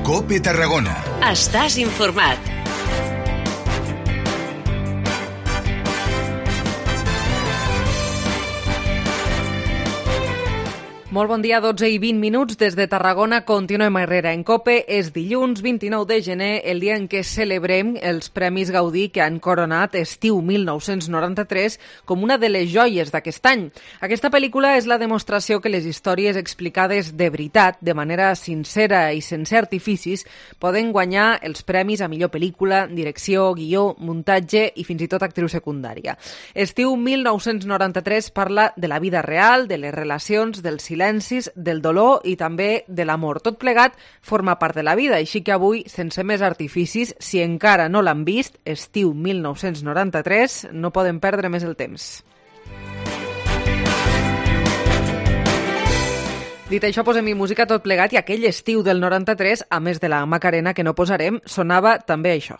COPE Tarragona. Estàs informat. Molt bon dia, 12 i 20 minuts des de Tarragona. Continuem a Herrera en COPE. És dilluns 29 de gener, el dia en què celebrem els Premis Gaudí que han coronat Estiu 1993 com una de les joies d'aquest any. Aquesta pel·lícula és la demostració que les històries explicades de veritat, de manera sincera i sense artificis, poden guanyar els premis a millor pel·lícula, direcció, guió, muntatge i fins i tot actriu secundària. Estiu 1993 parla de la vida real, de les relacions, del silencis, del dolor i també de l'amor. Tot plegat forma part de la vida, així que avui, sense més artificis, si encara no l'han vist, Estiu 1993, no poden perdre més el temps. Dit això, posem-hi música tot plegat i aquell estiu del 93, a més de la Macarena que no posarem, sonava també això.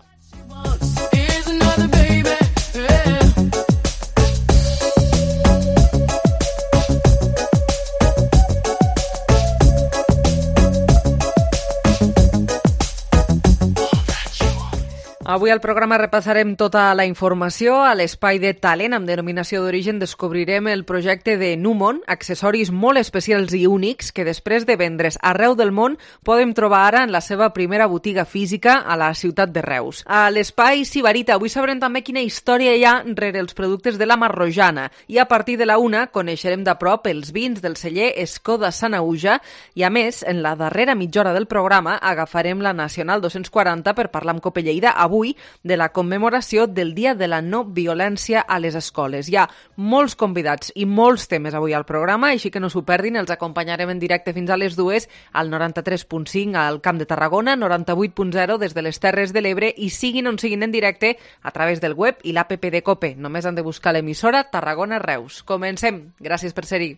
Avui al programa repassarem tota la informació. A l'espai de talent amb denominació d'origen descobrirem el projecte de Numon, accessoris molt especials i únics que després de vendre's arreu del món podem trobar ara en la seva primera botiga física a la ciutat de Reus. A l'espai Sibarita avui sabrem també quina història hi ha rere els productes de la Marrojana i a partir de la 1 coneixerem de prop els vins del celler Escoda Sanauja i a més, en la darrera mitja hora del programa agafarem la Nacional 240 per parlar amb COPE Lleida avui de la commemoració del Dia de la No Violència a les Escoles. Hi ha molts convidats i molts temes avui al programa, així que no s'ho perdin, els acompanyarem en directe fins a les 2 al 93.5 al Camp de Tarragona, 98.0 des de les Terres de l'Ebre i siguin on siguin en directe a través del web i l'APP de COPE. Només han de buscar l'emissora Tarragona Reus. Comencem. Gràcies per ser-hi.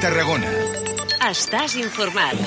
Tarragona. Estàs informat.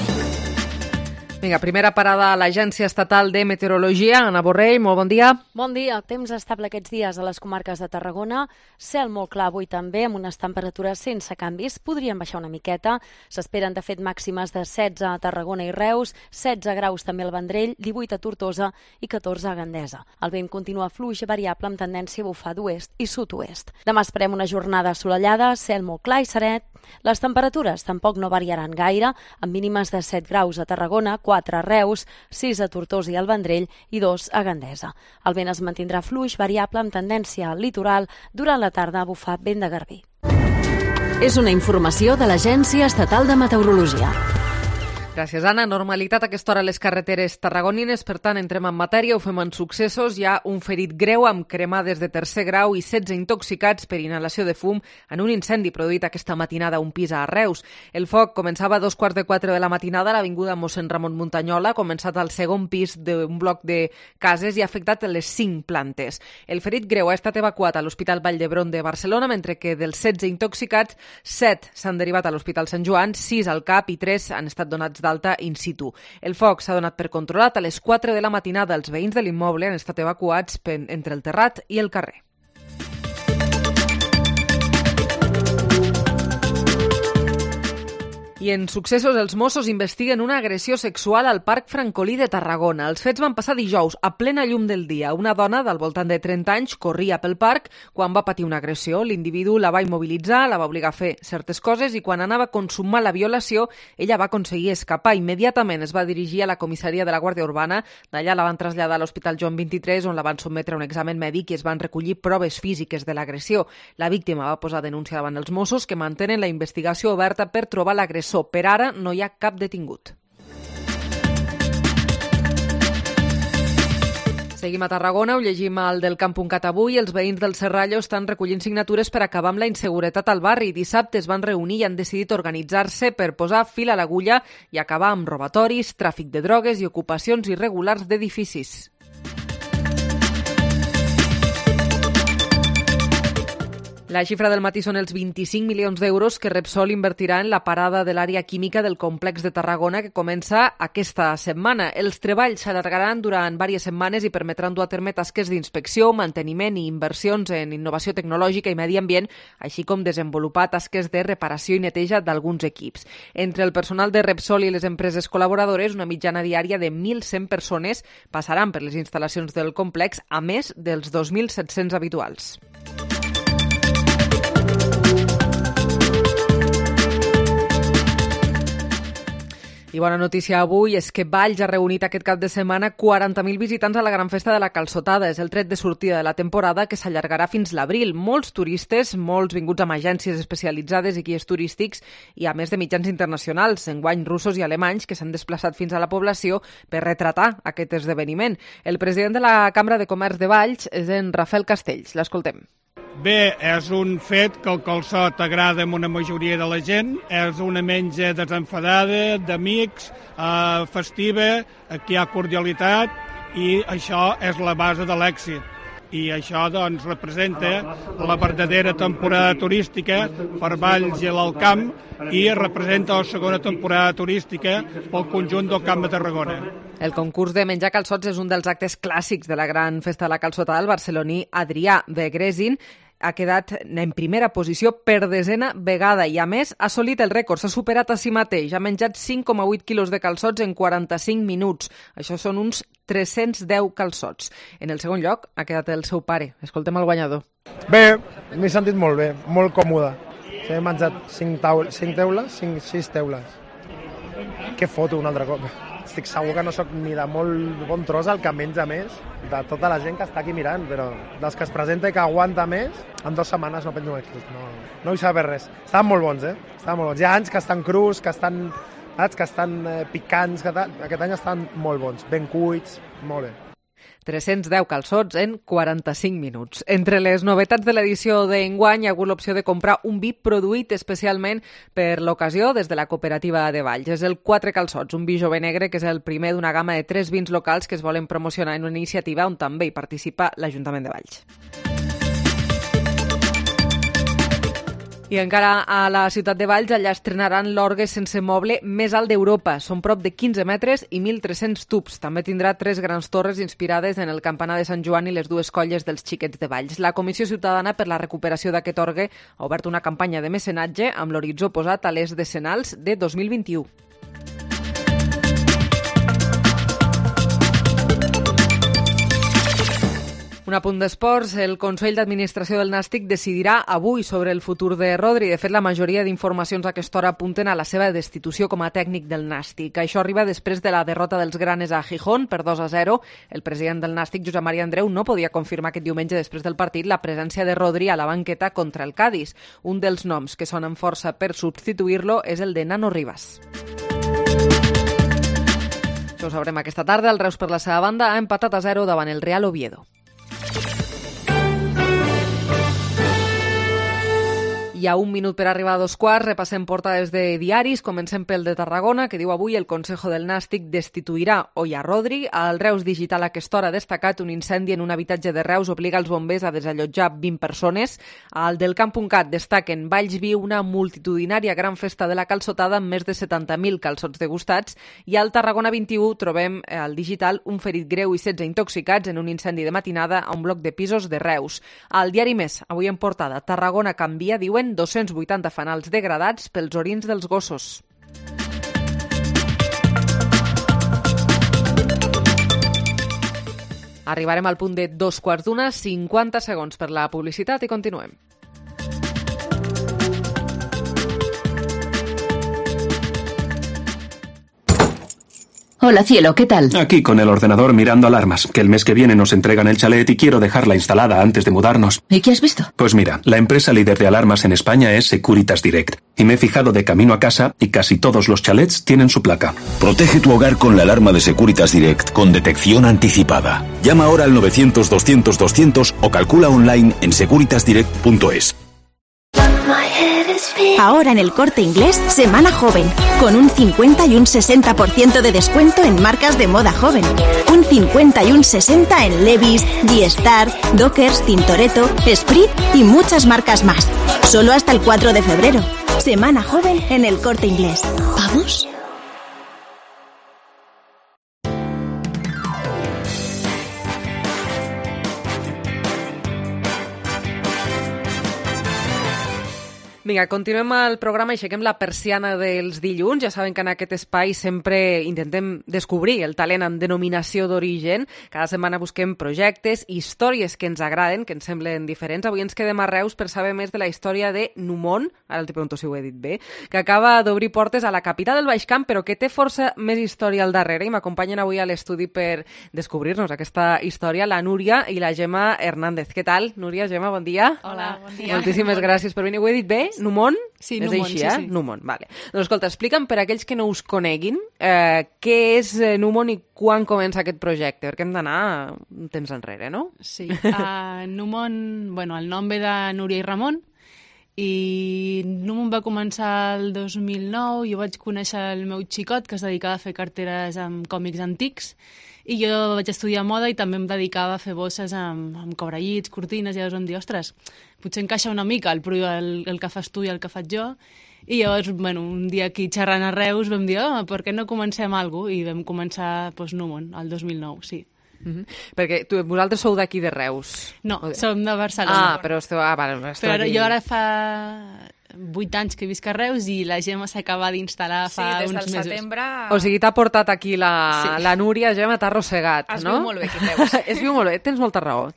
Vinga, primera parada a l'Agència Estatal de Meteorologia. Anna Borrell, molt bon dia. Bon dia. Temps estable aquests dies a les comarques de Tarragona. Cel molt clar avui també, amb unes temperatures sense canvis. Podrien baixar una miqueta. S'esperen, de fet, màximes de 16 a Tarragona i Reus, 16 graus també al Vendrell, 18 a Tortosa i 14 a Gandesa. El vent continua fluix variable amb tendència a bufar d'oest i sud-oest. Demà esperem una jornada assolellada, cel molt clar i seret. Les temperatures tampoc no variaran gaire, amb mínimes de 7 graus a Tarragona, 4 a Reus, 6 a Tortosa i al Vendrell i 2 a Gandesa. El vent es mantindrà fluix variable amb tendència al litoral, durant la tarda a bufar vent de garbí. És una informació de l'Agència Estatal de Meteorologia. Gràcies, Anna. Normalitat a aquesta hora a les carreteres tarragonines, per tant, entrem en matèria, ho fem en successos. Hi ha un ferit greu amb cremades de tercer grau i 16 intoxicats per inhalació de fum en un incendi produït aquesta matinada a un pis a Reus. El foc començava a 3:15 de la matinada a l'avinguda Mossèn Ramon Muntanyola, ha començat al segon pis d'un bloc de cases i ha afectat les 5 plantes. El ferit greu ha estat evacuat a l'Hospital Vall d'Hebron de Barcelona, mentre que dels 16 intoxicats, 7 s'han derivat a l'Hospital Sant Joan, 6 al CAP i 3 han estat donats d'alta in situ. El foc s'ha donat per controlat a les 4 de la matinada. Els veïns de l'immoble han estat evacuats entre el terrat i el carrer. I en successos, els Mossos investiguen una agressió sexual al Parc Francolí de Tarragona. Els fets van passar dijous, a plena llum del dia. Una dona del voltant de 30 anys corria pel parc quan va patir una agressió. L'individu la va immobilitzar, la va obligar a fer certes coses i quan anava a consumar la violació, ella va aconseguir escapar. Immediatament es va dirigir a la comissaria de la Guàrdia Urbana. D'allà la van traslladar a l'Hospital Joan 23, on la van sotmetre a un examen mèdic i es van recollir proves físiques de l'agressió. La víctima va posar denúncia davant els Mossos, que mantenen la investigació oberta per trobar l'agressor. Per ara no hi ha cap detingut. Seguim a Tarragona, ho llegim al del Camp.cat avui. Els veïns del Serrallo estan recollint signatures per acabar amb la inseguretat al barri. Dissabte es van reunir i han decidit organitzar-se per posar fil a l'agulla i acabar amb robatoris, tràfic de drogues i ocupacions irregulars d'edificis. La xifra del matí són els 25 milions d'euros que Repsol invertirà en la parada de l'àrea química del complex de Tarragona que comença aquesta setmana. Els treballs s'allargaran durant diverses setmanes i permetran dur a terme tasques d'inspecció, manteniment i inversions en innovació tecnològica i medi ambient, així com desenvolupar tasques de reparació i neteja d'alguns equips. Entre el personal de Repsol i les empreses col·laboradores, una mitjana diària de 1.100 persones passaran per les instal·lacions del complex, a més dels 2.700 habituals. I bona notícia avui és que Valls ha reunit aquest cap de setmana 40.000 visitants a la gran festa de la Calçotada. És el tret de sortida de la temporada que s'allargarà fins l'abril. Molts turistes, molts vinguts amb agències especialitzades i guies turístics i a més de mitjans internacionals, enguany russos i alemanys, que s'han desplaçat fins a la població per retratar aquest esdeveniment. El president de la Cambra de Comerç de Valls és en Rafael Castells. L'escoltem. Bé, és un fet que el calçot agrada a una majoria de la gent, és una menja desenfadada, d'amics, festiva, aquí hi ha cordialitat i això és la base de l'èxit. I això doncs, representa la verdadera temporada turística per Valls i l'Alt Camp i representa la segona temporada turística pel conjunt del Camp de Tarragona. El concurs de menjar calçots és un dels actes clàssics de la gran festa de la calçotada. El barceloní Adrià Begresin ha quedat en primera posició per desena vegada i, a més, ha assolit el rècord. S'ha superat a si mateix. Ha menjat 5,8 quilos de calçots en 45 minuts. Això són uns 310 calçots. En el segon lloc ha quedat el seu pare. Escoltem el guanyador. Bé, m'he sentit molt bé, molt còmode. He menjat 6 teules. Què foto un altre cop? Estic segur que no sóc ni de molt bon tros el que menja més de tota la gent que està aquí mirant, però dels que es presenta i que aguanta més, en 2 setmanes no penjo més. No vull saber res. Estaven molt bons, Estaven molt bons. Hi ha anys que estan crus, que estan picants, aquest any estan molt bons, ben cuits, molt bé. 310 calçots en 45 minuts. Entre les novetats de l'edició d'enguany hi ha hagut l'opció de comprar un vi produït especialment per l'ocasió des de la cooperativa de Valls. És el 4 calçots, un vi jove negre que és el primer d'una gamma de 3 vins locals que es volen promocionar en una iniciativa on també hi participa l'Ajuntament de Valls. I encara a la ciutat de Valls, allà estrenaran l'orgue sense moble més alt d'Europa. Són prop de 15 metres i 1.300 tubs. També tindrà 3 grans torres inspirades en el campanar de Sant Joan i les 2 colles dels xiquets de Valls. La Comissió Ciutadana per la recuperació d'aquest orgue ha obert una campanya de mecenatge amb l'horitzó posat a les decenals de 2021. Un apunt d'esports. El Consell d'Administració del Nàstic decidirà avui sobre el futur de Rodri. De fet, la majoria d'informacions a aquesta hora apunten a la seva destitució com a tècnic del Nàstic. Això arriba després de la derrota dels granes a Gijón per 2-0. El president del Nàstic, Josep Maria Andreu, no podia confirmar aquest diumenge després del partit la presència de Rodri a la banqueta contra el Cádiz. Un dels noms que sonen força per substituir-lo és el de Nano Rivas. Això ho sabrem aquesta tarda. El Reus, per la seva banda, ha empatat a 0 davant el Real Oviedo. Hi ha 1 minut per arribar a 2:15, repassem portades de diaris, comencem pel de Tarragona, que diu avui el Consejo del Nàstic destituirà Oya Rodri. Al Reus Digital a aquesta hora ha destacat un incendi en un habitatge de Reus obliga els bombers a desallotjar 20 persones. Al del Camp.cat destaquen Valls viu una multitudinària gran festa de la calçotada amb més de 70.000 calçots degustats i al Tarragona 21 trobem al Digital un ferit greu i 16 intoxicats en un incendi de matinada a un bloc de pisos de Reus. Al Diari Més, avui en portada, Tarragona canvia, diuen 280 fanals degradats pels orins dels gossos. Arribarem al punt de 2:15, 50 segons per la publicitat i continuem. Hola, cielo, ¿qué tal? Aquí con el ordenador mirando alarmas, que el mes que viene nos entregan el chalet y quiero dejarla instalada antes de mudarnos. ¿Y qué has visto? Pues mira, la empresa líder de alarmas en España es Securitas Direct. Y me he fijado de camino a casa y casi todos los chalets tienen su placa. Protege tu hogar con la alarma de Securitas Direct con detección anticipada. Llama ahora al 900-200-200 o calcula online en securitasdirect.es. Ahora en el Corte Inglés, Semana Joven, con un 50 y un 60% de descuento en marcas de moda joven. Un 50 y un 60 en Levi's, G-Star, Dockers, Tintoretto, Esprit y muchas marcas más. Solo hasta el 4 de febrero. Semana Joven en el Corte Inglés. ¿Vamos? Vinga, continuem el programa i aixequem la persiana dels dilluns. Ja saben que en aquest espai sempre intentem descobrir el talent amb denominació d'origen. Cada setmana busquem projectes, històries que ens agraden, que ens semblen diferents. Avui ens quedem a Reus per saber més de la història de Numont, ara te pregunto si ho he dit bé, que acaba d'obrir portes a la capital del Baix Camp, però que té força més història al darrere. I m'acompanyen avui a l'estudi per descobrir-nos aquesta història la Núria i la Gemma Hernández. Què tal, Núria, Gemma? Bon dia. Hola, bon dia. Moltíssimes gràcies per venir. Ho he dit bé? Numont? Sí, és Numont, així, sí. Numont, vale. Doncs escolta, explica'm per a aquells que no us coneguin què és Numont i quan comença aquest projecte, perquè hem d'anar un temps enrere, no? Sí, Numont, bueno, el nom ve de Núria i Ramon, i Numont va començar el 2009, jo vaig conèixer el meu xicot que es dedicava a fer carteres amb còmics antics, i jo vaig estudiar moda i també em dedicava a fer bosses amb cobrellits, cortines, i llavors vam dir, ostres, potser encaixa una mica el que fas tu i el que faig jo, i llavors, bueno, un dia aquí xerrant a Reus vam dir, per què no comencem alguna cosa? I vam començar Numont, el 2009, sí. Perquè vosaltres sou d'aquí de Reus. No, som de Barcelona. Però esteu... vale, però jo ara fa 8 anys que visc a Reus i la Gemma s'acaba d'instal·lar fa uns mesos. Sí, des del setembre... O sigui, t'ha portat aquí la Núria, Gemma, t'ha arrossegat, no? Es viu molt bé aquí a Reus. Es viu molt bé, tens molta raó.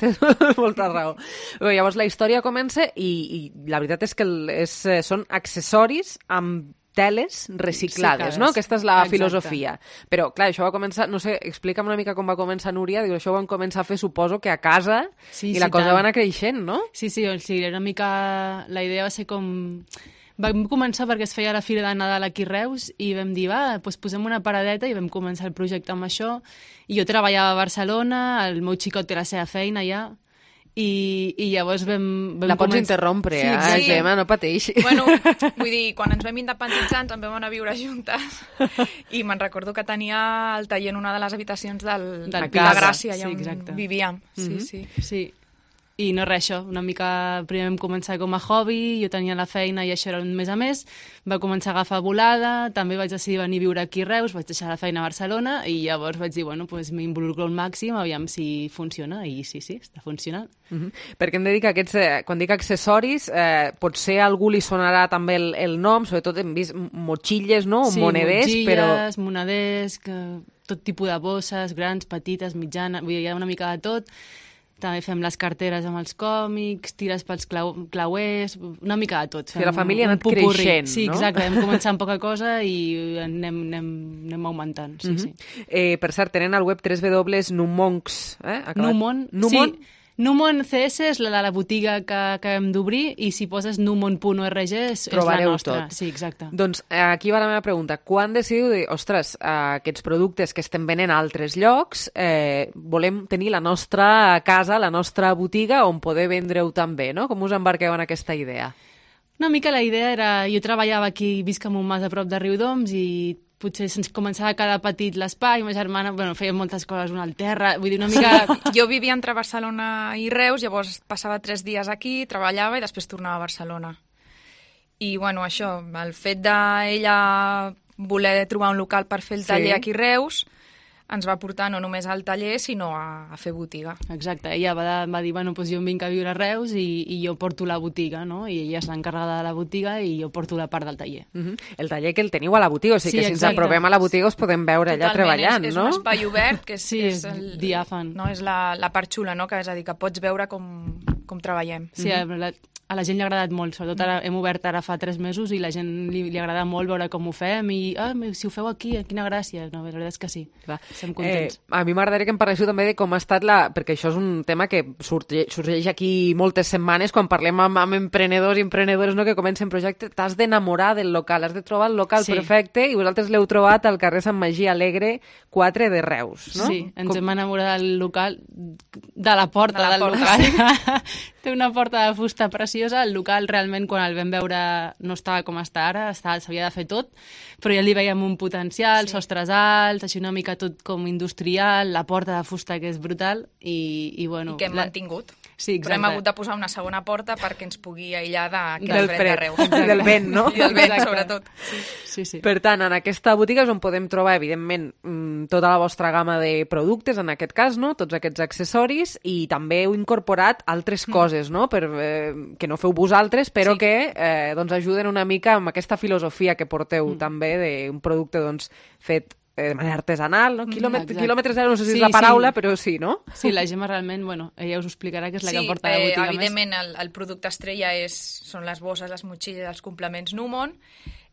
Bé, llavors la història comença i la veritat és que són accessoris amb teles reciclades, no? Aquesta és la filosofia. Però, clar, això va començar... No sé, explica'm una mica com va començar, Núria. Diu, això ho van començar a fer, suposo, que a casa i la cosa va anar creixent, no? Sí, una mica... La idea va ser com... Vam començar perquè es feia la Fira de Nadal aquí a Reus i vam dir, doncs posem una paradeta i vam començar el projecte amb això. I jo treballava a Barcelona, el meu xicot té la seva feina allà, i llavors vam la pots interrompre, Gemma, no pateixi. Bueno, vull dir, quan ens vam independitzar ens en vam anar a viure juntes i me'n recordo que tenia el taller en una de les habitacions de la Gràcia, allà on vivíem. Sí. I no res, això, una mica primer vam començar com a hobby, jo tenia la feina i això era un mes a més, va començar a agafar volada, també vaig decidir venir a viure aquí a Reus, vaig deixar la feina a Barcelona i llavors vaig dir, bueno, doncs m'involucro al màxim, aviam si funciona, i sí, està funcionant. Perquè hem de dir que aquests, quan dic accessoris, potser a algú li sonarà també el nom, sobretot hem vist motxilles, no? Sí, moneders, motxilles, moneders, tot tipus de bosses, grans, petites, mitjanes, vull dir, hi ha una mica de tot. També fem les carteres amb els còmics, tires pels clauers, una mica de tot. Si la família ha anat creixent, no? Sí, exacte, vam començar amb poca cosa i anem augmentant. Sí. Per cert, tenen al web www.numoncs. Numont, sí. Numont CS és la de la botiga que acabem d'obrir i si poses numont.org és la nostra. Tot. Sí, exacte. Doncs aquí va la meva pregunta. Quan decidiu dir, ostres, aquests productes que estem venent a altres llocs, volem tenir la nostra casa, la nostra botiga on poder vendre-ho també, no? Com us embarqueu en aquesta idea? Una mica la idea era... Jo treballava aquí, visc en un mas a prop de Riudoms i potser se'ns començava a quedar petit l'espai, ma germana, feia moltes coses, una al terra, vull dir, una mica... Jo vivia entre Barcelona i Reus, llavors passava 3 dies aquí, treballava i després tornava a Barcelona. I, això, el fet d'ella voler trobar un local per fer el taller aquí a Reus ens va portar no només al taller, sinó a fer botiga. Exacte, ella va dir, doncs jo em vinc a viure a Reus i jo porto la botiga, no? I ella és l'encarregada de la botiga i jo porto la part del taller. El taller que el teniu a la botiga, o sigui que si ens aprovem a la botiga us podem veure allà treballant, no? És un espai obert, que és diàfan. No? És la part xula, no? Que és a dir, que pots veure com com treballem. Sí, a la gent li ha agradat molt, sobretot ara hem obert ara fa 3 mesos i la gent li agrada molt veure com ho fem i si ho feu aquí, quina gràcia. No, la veritat és que sí, estem contents. A mi m'agradaria que em parléssiu també de com ha estat perquè això és un tema que sorgeix aquí moltes setmanes quan parlem amb emprenedors i emprenedores, no, que comencen projectes. T'has d'enamorar del local, has de trobar el local perfecte i vosaltres l'heu trobat al carrer Sant Magí Alegre 4 de Reus, no? Sí, ens hem enamorat del local, de la porta del local. Té una porta de fusta preciosa. El local realment quan el vam veure no estava com està ara, s'havia de fer tot, però ja li veiem un potencial, sostres alts, així una mica tot com industrial, la porta de fusta que és brutal i bueno... I que hem mantingut. Sí, però hem hagut de posar una segona porta perquè ens pugui aïllar del fred de Reus. Del vent, no? I del vent, sobretot. Sí. Per tant, en aquesta botiga és on podem trobar, evidentment, tota la vostra gamma de productes, en aquest cas, no? Tots aquests accessoris, i també heu incorporat altres coses, no? Que no feu vosaltres, però que doncs ajuden una mica amb aquesta filosofia que porteu també d'un producte doncs, fet de manera artesanal, no? Quilòmetre zero, no sé si és la paraula, però sí, no? Sí, la Gemma realment, bueno, ella us ho explicarà, que és la que porta la botiga evidentment, el producte estrella són les bosses, les motxilles, els complements Numon.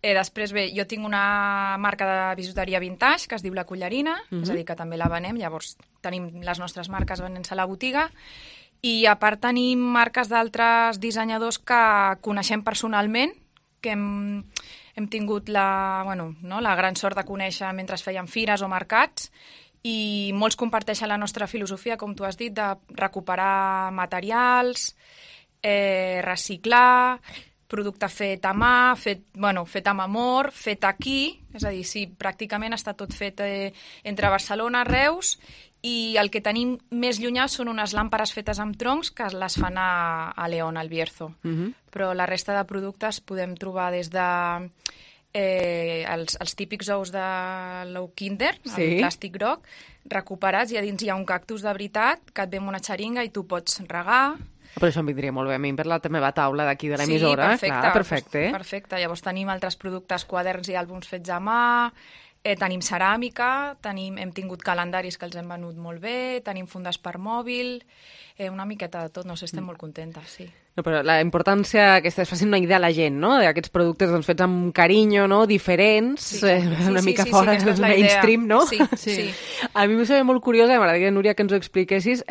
Després, bé, jo tinc una marca de bisuteria vintage que es diu La Collarina, és a dir, que també la venem, llavors tenim les nostres marques venent-se a la botiga, i a part tenim marques d'altres dissenyadors que coneixem personalment, que hem tingut la gran sort de conèixer mentre fèiem fires o mercats, i molts comparteixen la nostra filosofia, com tu has dit, de recuperar materials, reciclar, producte fet a mà, fet amb amor, fet aquí, és a dir, sí, pràcticament està tot fet entre Barcelona, Reus, i el que tenim més llunyà són unes làmperes fetes amb troncs que les fan a León, al Bierzo. Però la resta de productes podem trobar des de els típics ous de l'ou Kinder, el plàstic groc, recuperats, i a dins hi ha un cactus de veritat que et ve amb una xeringa i tu pots regar. Però això em vindria molt bé a mi per la meva taula d'aquí de l'emissora. Sí, perfecte. Perfecte. Llavors tenim altres productes, quaderns i àlbums fets a mà, tenim ceràmica, hem tingut calendaris que els hem venut molt bé, tenim fundes per mòbil, una miqueta de tot, no sé, estem molt contentes, sí. No, però la importància que es facin una idea a la gent, no?, d'aquests productes doncs, fets amb carinyo, no?, diferents, una mica fora del mainstream, no? Sí. A mi m'ho sabia molt curiosa, m'agradaria, Núria, que ens ho expliquessis,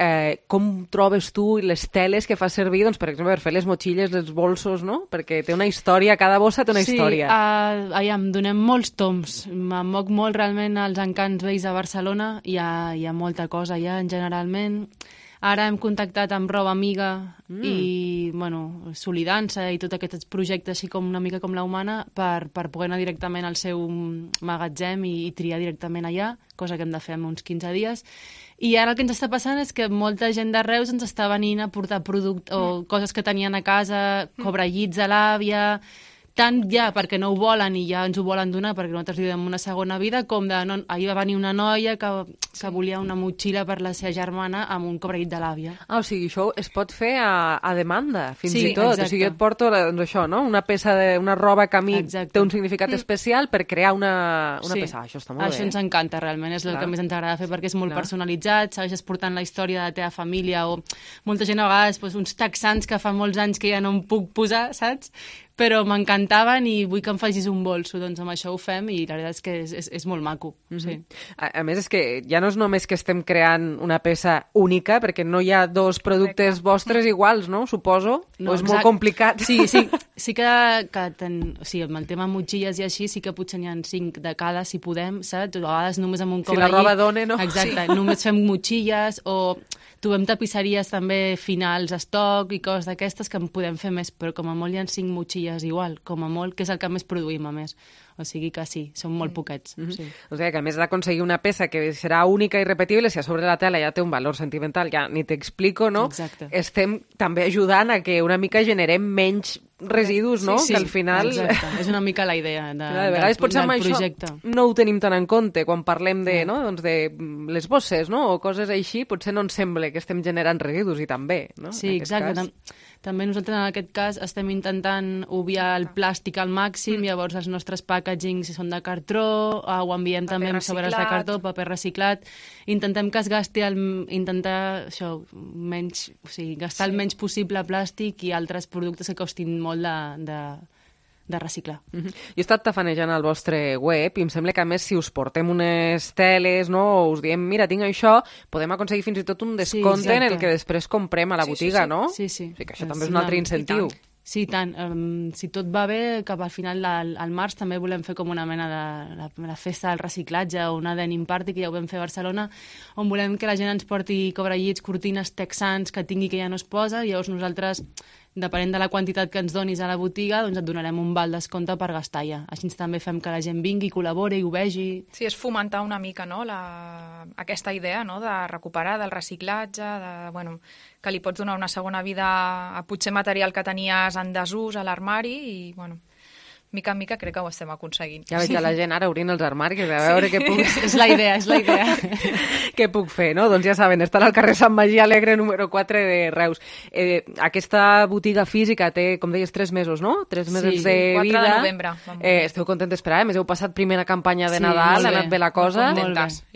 com trobes tu les teles que fas servir, doncs, per exemple, per fer les motxilles, els bolsos, no?, perquè té una història, cada bossa té una història. Sí, em donem molts toms, em moc molt realment als encants vells de Barcelona, hi ha molta cosa ja, generalment. Ara hem contactat amb Roba Amiga i, bueno, Solidança i tots aquests projectes així com una mica com la Humana per poder anar directament al seu magatzem i triar directament allà, cosa que hem de fer en uns 15 dies. I ara el que ens està passant és que molta gent de Reus ens està venint a portar productes o coses que tenien a casa, cobrellits a l'àvia, tant ja perquè no ho volen i ja ens ho volen donar perquè nosaltres li donem una segona vida, com de... ahir va venir una noia que volia una motxilla per la seva germana amb un cobrellit de l'àvia. O sigui, això es pot fer a demanda, fins i tot. Exacte. O sigui, et porto doncs això, no?, una peça una roba que a mi té un significat especial per crear una peça. Això està molt bé. Això ens encanta, realment. És el que més ens agrada fer perquè és molt personalitzat, segueixes portant la història de la teva família, o molta gent a vegades uns texans que fa molts anys que ja no em puc posar, saps? Però m'encantaven i vull que em facis un bolso, doncs amb això ho fem i la veritat és que és molt maco. Sí. A més, és que ja no és només que estem creant una peça única, perquè no hi ha dos productes vostres iguals, no? Suposo? No, o és molt complicat? Sí que amb el tema motxilles i així, sí que potser n'hi ha 5 de cada, si podem, saps? A vegades només amb un cobrellit. Si la roba dona, no? Exacte, només fem motxilles o trobem tapisseries també finals, estoc i coses d'aquestes que en podem fer més, però com a molt hi ha 5 motxilles igual, com a molt, que és el que més produïm a més. O sigui que sí, són molt poquets. Sí. O sigui que a més d'aconseguir una peça que serà única i repetible, si a sobre la tela ja té un valor sentimental, ja ni t'explico, no? Exacte. Estem també ajudant a que una mica generem menys residus, no? Sí, que al final... Exacte. És una mica la idea de vegades potser amb això no ho tenim tan en compte quan parlem de, no? doncs de les bosses, no? O coses així, potser no ens sembla que estem generant residus i també, no? Sí, exacte. També nosaltres en aquest cas estem intentant obviar el plàstic al màxim, llavors els nostres packagings són de cartró, ho enviem també amb sobres de cartró, paper reciclat, intentem que es gasti gastar el menys possible plàstic i altres productes que costin molt de reciclar. Jo he estat tafanejant al vostre web i em sembla que, a més, si us portem unes teles, no, o us diem, mira, tinc això, podem aconseguir fins i tot un descompte en el que després comprem a la botiga, no? Sí. O sigui que això també és un altre incentiu. Sí, tant. Si tot va bé, cap al final al març també volem fer com una mena de festa del reciclatge o una denim party, que ja ho vam fer a Barcelona, on volem que la gent ens porti cobrellits, cortines texans que tingui que ja no es posa, i llavors nosaltres, depenent de la quantitat que ens donis a la botiga, doncs et donarem un val descompte per gastar ja. Així també fem que la gent vingui, col·labori i ho vegi. Sí, és fomentar una mica, no?, aquesta idea, no?, de recuperar, del reciclatge, que li pots donar una segona vida a potser material que tenies en desús a l'armari i, mica en mica crec que ho estem aconseguint. Ja veig a la gent ara obrint els armaris a veure què puc... És la idea. Què puc fer, no? Doncs ja saben, estan al carrer Sant Magí Alegre, número 4 de Reus. Aquesta botiga física té, com deies, 3 mesos, no? 3 mesos de vida. 4 de novembre. Esteu contentes per ara? Més heu passat primera campanya de Nadal, ha anat bé la cosa.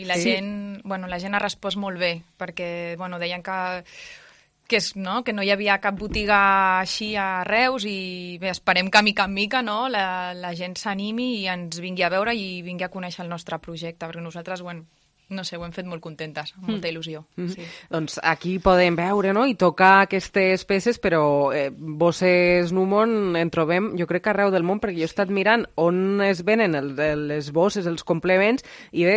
I la gent ha respost molt bé, perquè deien que no hi havia cap botiga així a Reus i bé, esperem que mica en mica la gent s'animi i ens vingui a veure i vingui a conèixer el nostre projecte, perquè nosaltres, no sé, ho hem fet molt contentes, amb molta il·lusió. Sí. Doncs aquí podem veure, no?, i tocar aquestes peces, però bosses Numon en trobem, jo crec que arreu del món, perquè jo he estat mirant on es venen les bosses, els complements, i bé,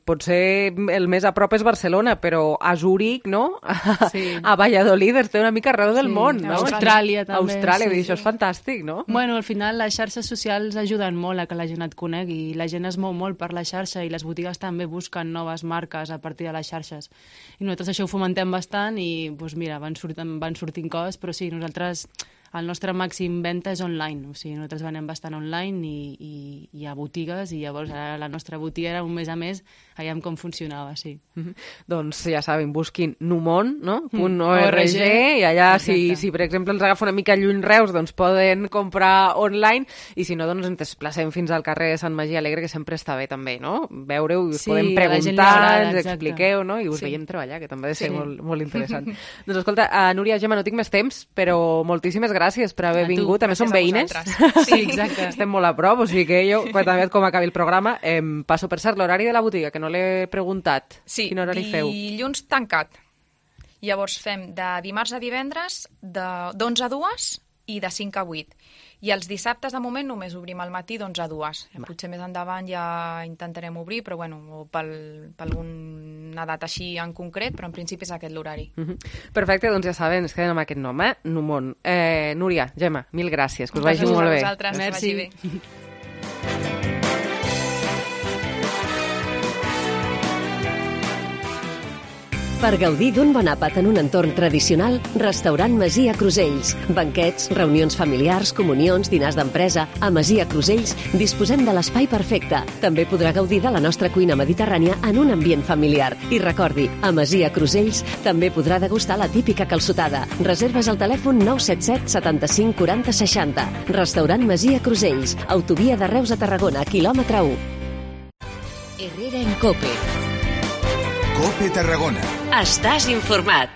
potser el més a prop és Barcelona, però a Zúrich, no?, a Valladolid, es té una mica arreu del món, no? Austràlia també. Això és fantàstic, no? Bueno, al final les xarxes socials ajuden molt a que la gent et conegui, la gent es mou molt per la xarxa i les botigues també busquen noves marques a partir de les xarxes. I nosaltres això ho fomentem bastant i, doncs mira, van sortint coses, però sí, nosaltres, el nostre màxim venda és online, o sigui, nosaltres venem bastant online i a botigues, i llavors la nostra botiga era un mes a mes, veiem com funcionava, sí. Doncs ja saben, busquin numon, no? .org, i allà, si per exemple els agafa una mica lluny Reus, doncs poden comprar online, i si no, doncs ens desplacem fins al carrer de Sant Magí Alegre, que sempre està bé també, no? Veure-ho, us podem preguntar, ens expliqueu, no? I us veiem treballar, que també ha de ser molt interessant. Doncs escolta, Núria, Gemma, no tinc més temps, però moltíssimes gràcies per haver vingut. A més, som veïnes. Sí, exacte. Estem molt a prop, o sigui que jo, quan també com acabi el programa, passo per cert l'horari de la botiga, que no l'he preguntat. Sí, quin horari feu? Dilluns tancat. Llavors fem de dimarts a divendres d'11 a 2 i de 5 a 8. I els dissabtes, de moment, només obrim al matí d'11 a 2. Potser més endavant ja intentarem obrir, però o per alguna data així en concret, però en principi és aquest l'horari. Perfecte, doncs ja saben, es queden amb aquest nom, Numon. Núria, Gemma, mil gràcies, que us vagi molt bé. Gràcies a vosaltres, merci. Que vagi bé. Per gaudir d'un bon àpat en un entorn tradicional, Restaurant Masia Crusells. Banquets, reunions familiars, comunions, dinars d'empresa. A Masia Crusells disposem de l'espai perfecte. També podrà gaudir de la nostra cuina mediterrània en un ambient familiar. I recordi, a Masia Crusells també podrà degustar la típica calçotada. Reserves al telèfon 977 75 40 60. Restaurant Masia Crusells. Autovia de Reus a Tarragona, quilòmetre 1. Herrera en Cope. Cope Tarragona. Estàs informat.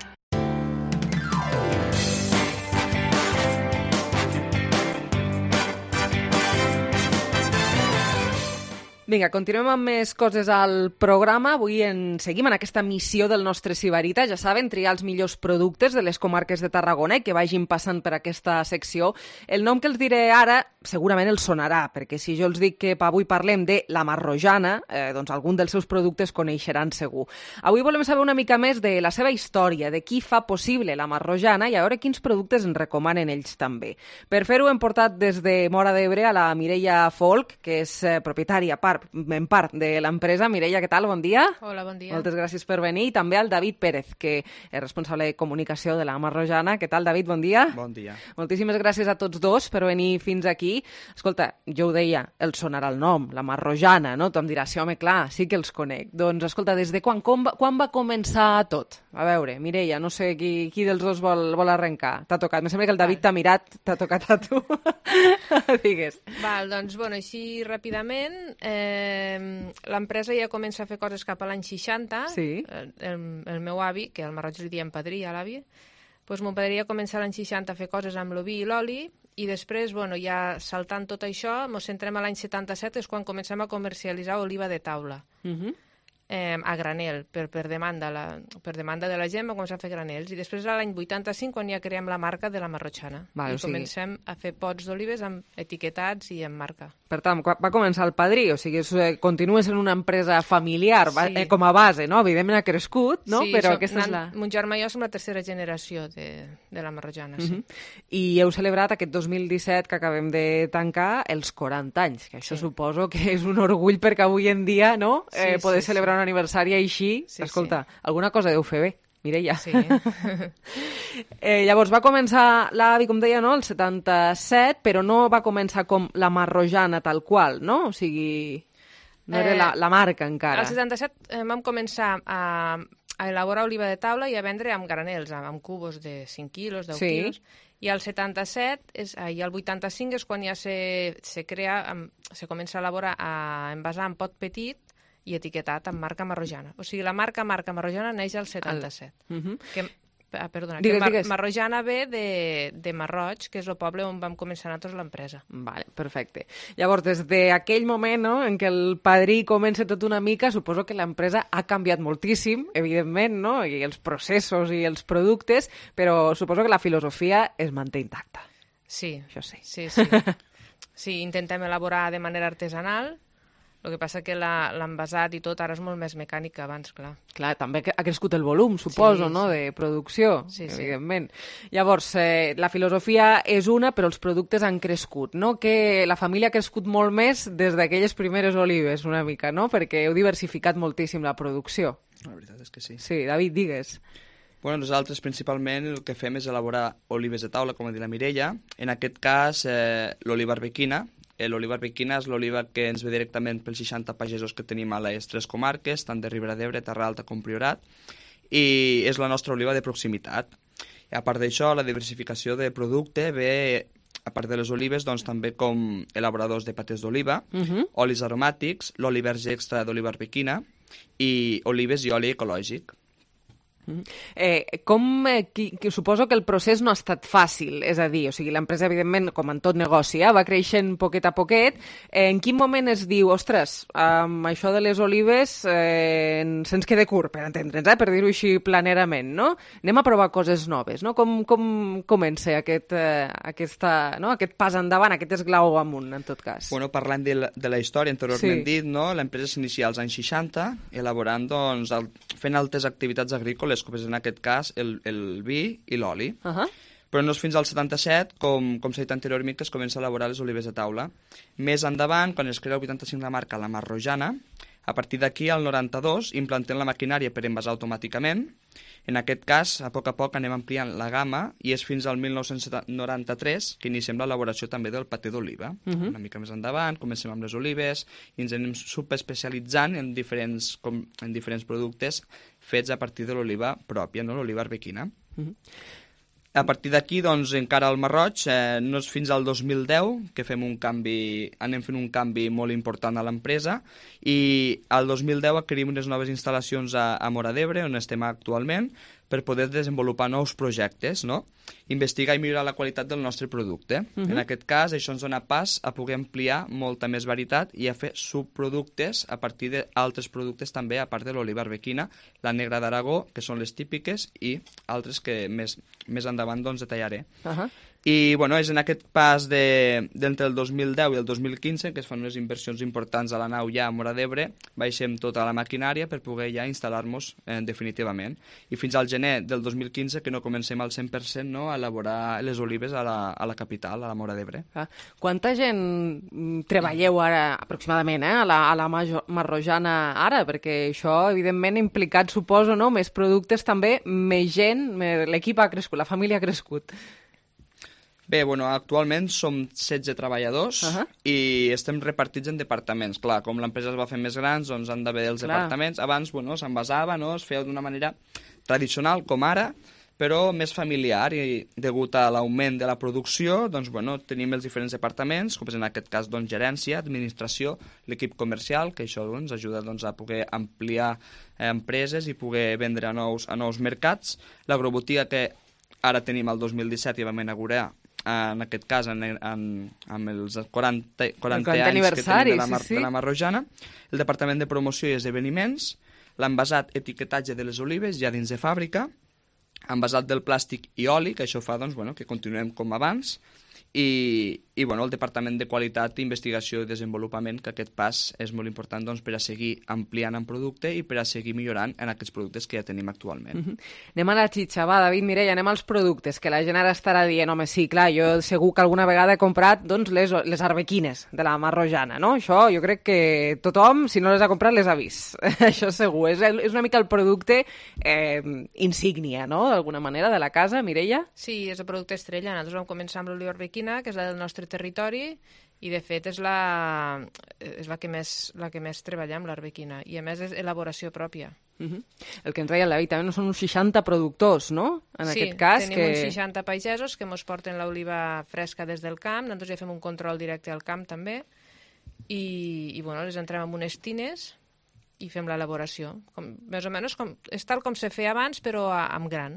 Vinga, continuem amb més coses al programa. Avui seguim en aquesta missió del nostre Sibarita. Ja saben, triar els millors productes de les comarques de Tarragona i que vagin passant per aquesta secció. El nom que els diré ara segurament els sonarà, perquè si jo els dic que avui parlem de la Marrojana, doncs algun dels seus productes coneixeran segur. Avui volem saber una mica més de la seva història, de qui fa possible la Marrojana i a veure quins productes ens recomanen ells també. Per fer-ho hem portat des de Móra d'Ebre a la Mireia Folk, que és propietària, part en part de l'empresa. Mireia, què tal? Bon dia. Hola, bon dia. Moltes gràcies per venir. I també al David Pérez, que és responsable de comunicació de la Marrojana. Què tal, David? Bon dia. Bon dia. Moltíssimes gràcies a tots dos per venir fins aquí. Escolta, jo ho deia, el sonarà el nom, la Marrojana, no? Tu em diràs, sí, home, clar, sí que els conec. Doncs, escolta, des de quan va començar tot? A veure, Mireia, no sé qui dels dos vol arrencar. T'ha tocat. Me sembla que el David t'ha mirat, t'ha tocat a tu. Digues. Val, doncs, bueno, així ràpidament, l'empresa ja comença a fer coses cap a l'any 60. Sí. El meu avi, que al Marroig li diem padrí a l'avi, doncs mon padrí ja comença l'any 60 a fer coses amb l'oví i l'oli, i després, bueno, ja saltant tot això, ens centrem a l'any 77, és quan comencem a comercialitzar oliva de taula. A granel, per demanda de la gent, va començar a fer granels, i després a l'any 85 quan ja creem la marca de la Marrojana, i comencem a fer pots d'olives amb etiquetats i amb marca. Per tant, va començar el padrí, o sigui, continua sent una empresa familiar, com a base, no? Evidentment ha crescut, no? Sí, però aquesta és la... Mon germà i jo som la tercera generació de la Marrojana, sí. I heu celebrat aquest 2017 que acabem de tancar els 40 anys, que això suposo que és un orgull perquè avui en dia, no? Poder celebrar un aniversari així, escolta, alguna cosa deu fer bé, Mireia. Sí. Llavors va començar l'avi, com deia, no? El 77, però no va començar com la Marrojana tal qual, no? O sigui, no era la marca encara. Al 77 vam començar a elaborar oliva de taula i a vendre amb granels, amb cubos de 5 quilos, 10 quilos. I al 77 i al 85 és quan ja se comença a elaborar, a envasar en pot petit i etiquetat amb marca Marrojana. O sigui, la marca Marrojana neix al 77. Digues. Marrojana ve de Marroig, que és el poble on vam començar nosaltres l'empresa. Vale, perfecte. Llavors, des d'aquell moment, no, en què el padrí comença tot una mica, suposo que l'empresa ha canviat moltíssim, evidentment, no? I els processos i els productes, però suposo que la filosofia es manté intacta. Sí. Això sí. Sí. Sí, intentem elaborar de manera artesanal. El que passa que l'envasat i tot ara és molt més mecànic que abans, clar. Clar, també ha crescut el volum, suposo, no?, de producció, evidentment. Llavors, la filosofia és una, però els productes han crescut, no? Que la família ha crescut molt més des d'aquelles primeres olives, una mica, no? Perquè heu diversificat moltíssim la producció. La veritat és que sí. Sí, David, digues. Bueno, nosaltres principalment el que fem és elaborar olives de taula, com ha dit la Mireia. En aquest cas, l'oliva arbequina. L'oliva arbequina és l'oliva que ens ve directament pels 60 pagesos que tenim a les 3 comarques, tant de Ribera d'Ebre, Terra Alta com Priorat, i és la nostra oliva de proximitat. I a part d'això, la diversificació de producte ve, a part de les olives, doncs també com elaboradors de patés d'oliva, olis aromàtics, l'oli verge extra d'oliva arbequina i olives i oli ecològic. Suposo que el procés no ha estat fàcil, és a dir, o sigui, l'empresa, evidentment, com en tot negoci, va creixent poquet a poquet. En quin moment es diu, ostres, amb això de les olives se'ns queda curt, per entendre'ns, per dir-ho així planerament, no? Anem a provar coses noves, no? Com comença aquest pas endavant, aquest esglau amunt, en tot cas? Bueno, parlant de la història anteriorment dit, no? L'empresa s'inicia als anys 60, elaborant, doncs, fent altres activitats agrícoles, com és en aquest cas el vi i l'oli. Però no és fins al 77, com s'ha dit anteriorment, que es comença a elaborar les olives de taula. Més endavant, quan es crea el 85 la marca la Marrojana, a partir d'aquí, al 92, implantem la maquinària per envasar automàticament. En aquest cas, a poc anem ampliant la gamma i és fins al 1993 que iniciem l'elaboració també del paté d'oliva. Una mica més endavant, comencem amb les olives i ens anem subespecialitzant en diferents productes fets a partir de l'oliva pròpia, no? L'oliva arbequina. A partir d'aquí, doncs, encara al Marroig, no és fins al 2010 que anem fent un canvi molt important a l'empresa i al 2010 adquirim unes noves instal·lacions a Móra d'Ebre, on estem actualment, per poder desenvolupar nous projectes, no? Investigar i millorar la qualitat del nostre producte. En aquest cas, això ens dona pas a poder ampliar molta més varietat i a fer subproductes a partir d'altres productes també, a part de l'oliva arbequina, la negra d'Aragó, que són les típiques, i altres que més endavant doncs detallaré. I bueno, és en aquest pas d'entre el 2010 i el 2015 que es fan unes inversions importants a la nau ja a Móra d'Ebre, baixem tota la maquinària per poder ja instal·lar-nos definitivament. I fins al gener del 2015 que no comencem al 100% no, a elaborar les olives a la capital, a la Móra d'Ebre. Quanta gent treballeu ara, aproximadament, a la Marrojana ara? Perquè això, evidentment, ha implicat, suposo, no? Més productes també, més gent, l'equip ha crescut, la família ha crescut. Bé, bueno, actualment som 16 treballadors i estem repartits en departaments. Clar, com l'empresa es va fer més grans, doncs han d'haver els departaments. Abans, bueno, s'envasava, no? Es feia d'una manera tradicional, com ara, però més familiar, i degut a l'augment de la producció, doncs, bueno, tenim els diferents departaments, com és en aquest cas, doncs, gerència, administració, l'equip comercial, que això doncs, ajuda doncs, a poder ampliar empreses i poder vendre a nous mercats. L'agrobotiga que ara tenim el 2017 i vam inaugurar, en aquest cas, amb els 40 anys que tenim de la Marrojana, el Departament de Promoció i Esdeveniments, l'envasat etiquetatge de les olives ja dins de fàbrica, envasat del plàstic i oli, que això fa doncs, bueno, que continuem com abans, i bueno, el Departament de Qualitat, Investigació i Desenvolupament, que aquest pas és molt important doncs, per a seguir ampliant en producte i per a seguir millorant en aquests productes que ja tenim actualment. Anem a la xitxa, va, David, Mireia, anem als productes, que la gent ara estarà dient, home, sí, clar, jo segur que alguna vegada he comprat doncs, les arbequines de la Marrojana, no? Això jo crec que tothom, si no les ha comprat, les ha vist. Això segur. És una mica el producte insígnia, no?, d'alguna manera, de la casa, Mireia? Sí, és el producte estrella. Nosaltres vam començar amb l'oliva arbequina, que és la del nostre territori, i de fet és la que més treballem, l'arbequina, i a més és elaboració pròpia. El que ens deia el David, també són uns 60 productors, no? En aquest cas, tenim uns 60 pagesos que ens porten l'oliva fresca des del camp, nosaltres ja fem un control directe al camp també, i bueno, les entrem en unes tines i fem l'elaboració. Més o menys és tal com se feia abans, però amb gran.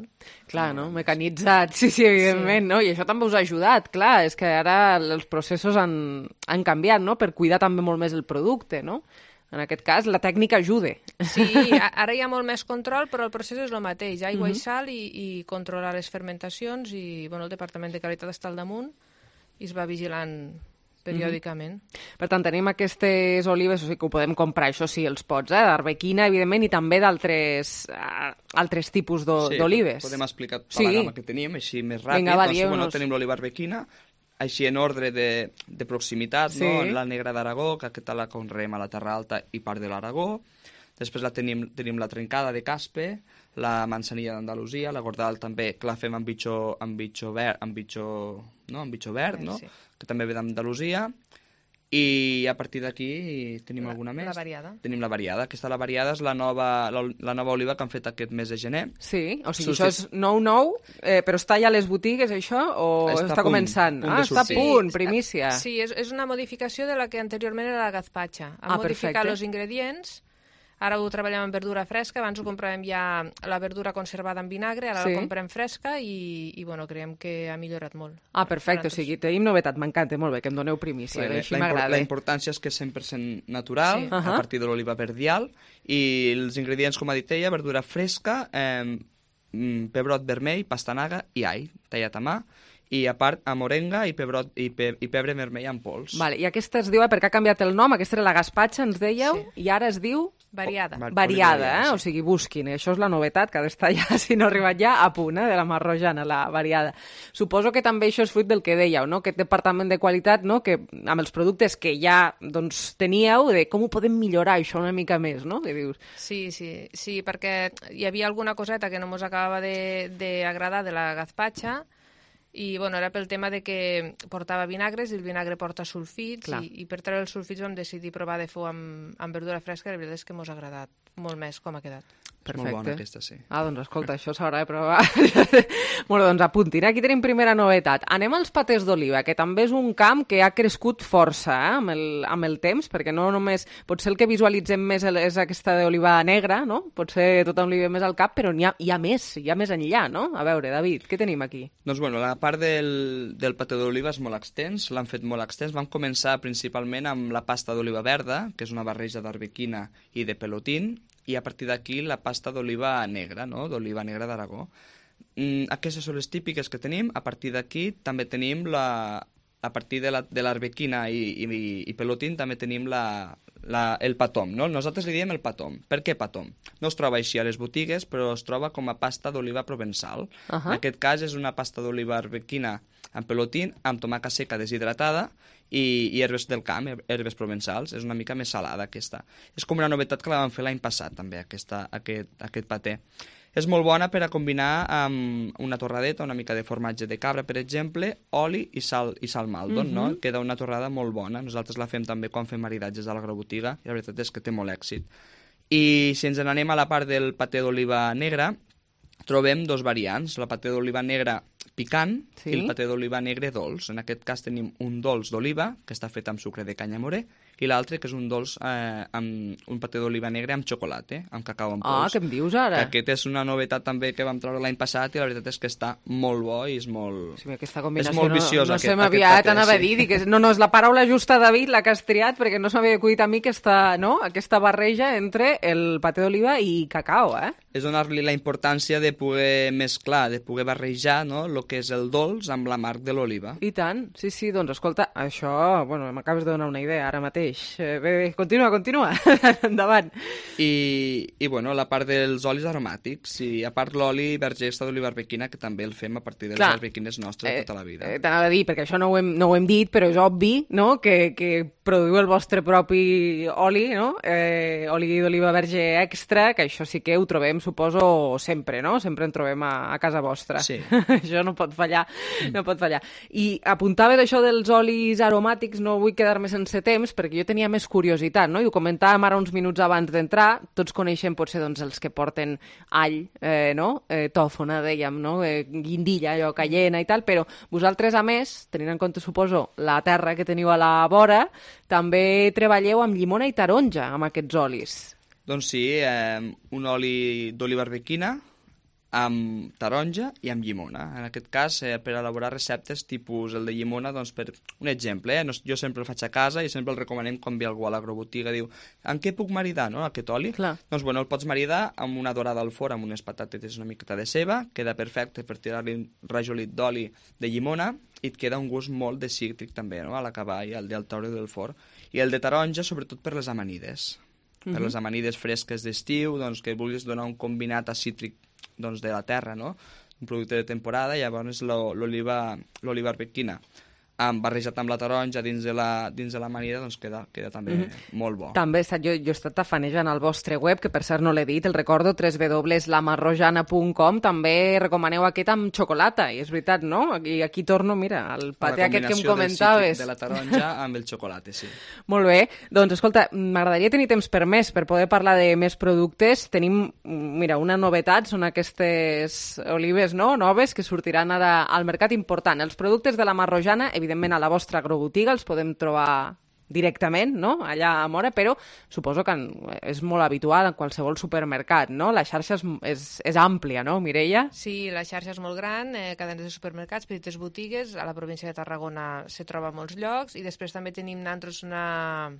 Clar, no? Mecanitzat, sí, evidentment, no? I això també us ha ajudat, clar, és que ara els processos han canviat, no?, per cuidar també molt més el producte, no? En aquest cas, la tècnica ajuda. Sí, ara hi ha molt més control, però el procés és el mateix, aigua i sal i controlar les fermentacions, i bueno, el Departament de Qualitat està al damunt i es va vigilant periòdicament. Per tant, tenim aquestes olives, o sigui que ho podem comprar, això sí, els pots, d'arbequina, evidentment, i també d'altres tipus d'olives. Sí, podem explicar tota la gamma que tenim, així més ràpid. Doncs, bueno, tenim l'oliva arbequina, així en ordre de proximitat, no? La negra d'Aragó, que aquesta la conreem a la Terra Alta i part de l'Aragó. Després tenim la trencada de Caspe, la manzanilla d'Andalusia, la Gordal també, que la fem amb bitxo verd, no? Que també ve d'Andalusia, i a partir d'aquí tenim alguna més. La variada. Tenim la variada. Aquesta la variada és la nova oliva que han fet aquest mes de gener. Sí, o sigui, això és nou, però està ja a les botigues, això, o està començant? Està a punt, primícia. Sí, és una modificació de la que anteriorment era la gazpacha. Han modificat els ingredients. Ara ho treballem amb verdura fresca, abans ho compràvem ja la verdura conservada en vinagre, ara la comprem fresca i bueno, creiem que ha millorat molt. Perfecte, o sigui, tenim novetat, m'encanta, molt bé, que em doneu primícia, així m'agrada. La importància és que és 100% natural, a partir de l'oliva verdial, i els ingredients, com ha dit ella, verdura fresca, pebrot vermell, pastanaga i all, tallat a mà, i a part a morenga i pebre vermell en pols. Vale, i aquesta es diu, perquè ha canviat el nom, aquesta era la gazpacha, ens dèieu, i ara es diu... Variada. Variada, o sigui, busquin. Això és la novetat, que ha d'estar ja, si no ha arribat ja, a punt, de la Marrojana, la variada. Suposo que també això és fruit del que dèieu, no?, aquest departament de qualitat, no?, que amb els productes que ja doncs, teníeu, de com ho podem millorar això una mica més, no?, que dius. Sí, perquè hi havia alguna coseta que no ens acabava d'agradar de la gazpacha, i bueno, era pel tema de que portava vinagres i el vinagre porta sulfits, i per treure els sulfits vam decidir provar de fer amb verdura fresca, i la veritat és que ens ha agradat molt més com ha quedat. Perfecte. Molt bona aquesta, sí. Doncs escolta, això s'haurà de provar. Bueno, doncs apuntin. Aquí tenim primera novetat. Anem als patès d'oliva, que també és un camp que ha crescut força amb el temps, perquè no només... Potser el que visualitzem més és aquesta d'oliva negra, no? Potser tothom li ve més al cap, però hi ha més enllà, no? A veure, David, què tenim aquí? Doncs bueno, la part del patè d'oliva és molt extens, l'han fet molt extens. Vam començar principalment amb la pasta d'oliva verda, que és una barreja d'arbequina i de pelotín, i a partir d'aquí la pasta d'oliva negra, no?, d'oliva negra d'Aragó. Aquestes són les típiques que tenim. A partir d'aquí també tenim a partir de l'arbequina i pelotín també tenim el patom, no? Nosaltres li diem el patom. Per què patom? No es troba així a les botigues, però es troba com a pasta d'oliva provençal. En aquest cas és una pasta d'oliva arbequina amb pelotín, amb tomàquet seca deshidratada i herbes del camp, herbes provençals. És una mica més salada aquesta. És com una novetat que la vam fer l'any passat també, aquest paté. És molt bona per a combinar amb una torradeta, una mica de formatge de cabra, per exemple, oli i sal maldon, no? Queda una torrada molt bona. Nosaltres la fem també quan fem maridatges a l'agrobotiga i la veritat és que té molt èxit. I si ens n'anem a la part del paté d'oliva negra, trobem dos variants, la paté d'oliva negra picant i el paté d'oliva negre dolç. En aquest cas tenim un dolç d'oliva, que està fet amb sucre de canya morè, i l'altre que és un dolç amb un paté d'oliva negre amb xocolata, amb cacau en pols. Què em dius ara? Aquest és una novetat també que vam treure l'any passat i la veritat és que està molt bo i és molt, aquesta combinació és molt viciós. No se m'havia anava a dir, no, és la paraula justa, David, la que has triat, perquè no s'havia acudit a mi aquesta barreja entre el paté d'oliva i cacau, És donar-li la importància de poder mesclar, de poder barrejar, no?, el que és el dolç amb l'amarg de l'oliva. I tant, sí, doncs escolta, això, m'acabes de donar una idea ara mateix. Bé, continua, endavant. I la part dels olis aromàtics, i a part l'oli verger extra d'oliva arbequina, que també el fem a partir de les arbequines nostres de tota la vida. T'anava a dir, perquè això no ho hem dit, però és obvi, no?, que produïu el vostre propi oli, no?, oli d'oliva verge extra, que això sí que ho trobem, suposo, sempre, no?, sempre en trobem a casa vostra. Sí. Això no pot fallar, I apuntaves això dels olis aromàtics, no vull quedar-me sense temps, perquè jo tenia més curiositat, no?, i ho comentàvem ara uns minuts abans d'entrar. Tots coneixem potser els que porten all, tòfona, dèiem, no?, guindilla, allò, cayena i tal, però vosaltres, a més, tenint en compte, suposo, la terra que teniu a la vora, també treballeu amb llimona i taronja, amb aquests olis. Doncs sí, un oli d'oliva arbequina, amb taronja i amb llimona. En aquest cas, per elaborar receptes tipus el de llimona, doncs per un exemple, jo sempre el faig a casa i sempre el recomanem quan ve algú a l'agrobotiga, diu, en què puc maridar, no?, aquest oli? Clar. Doncs el pots maridar amb una dorada al forn, amb unes patatetes, una miqueta de ceba, queda perfecte per tirar-li un rajolit d'oli de llimona i et queda un gust molt de cítric també, no?, a l'acabar i al treure del forn. I el de taronja, sobretot per les amanides. Per les amanides fresques d'estiu, doncs que vulguis donar un combinat a cítric de la terra, no?, un producte de temporada, i llavors l'oliva arbequina barrejat amb la taronja dins de l'amanida, doncs queda també molt bo. També jo he estat tafanejant al vostre web, que per cert no l'he dit, el recordo, www.lamarrojana.com, també recomaneu aquest amb xocolata, i és veritat, no? I aquí torno, mira, al paté aquest que em comentaves. De la taronja amb el xocolata, sí. Molt bé, doncs escolta, m'agradaria tenir temps per més, per poder parlar de més productes. Tenim, mira, una novetat, són aquestes olives, no?, noves, que sortiran ara al mercat. Important. Els productes de la Marrojana, evidentment a la vostra agrobotiga els podem trobar directament, no?, allà a Móra, però suposo que és molt habitual en qualsevol supermercat, no? La xarxa és àmplia, no, Mireia? Sí, la xarxa és molt gran, cadenes de supermercats, petites botigues, a la província de Tarragona se troba a molts llocs, i després també tenim nosaltres una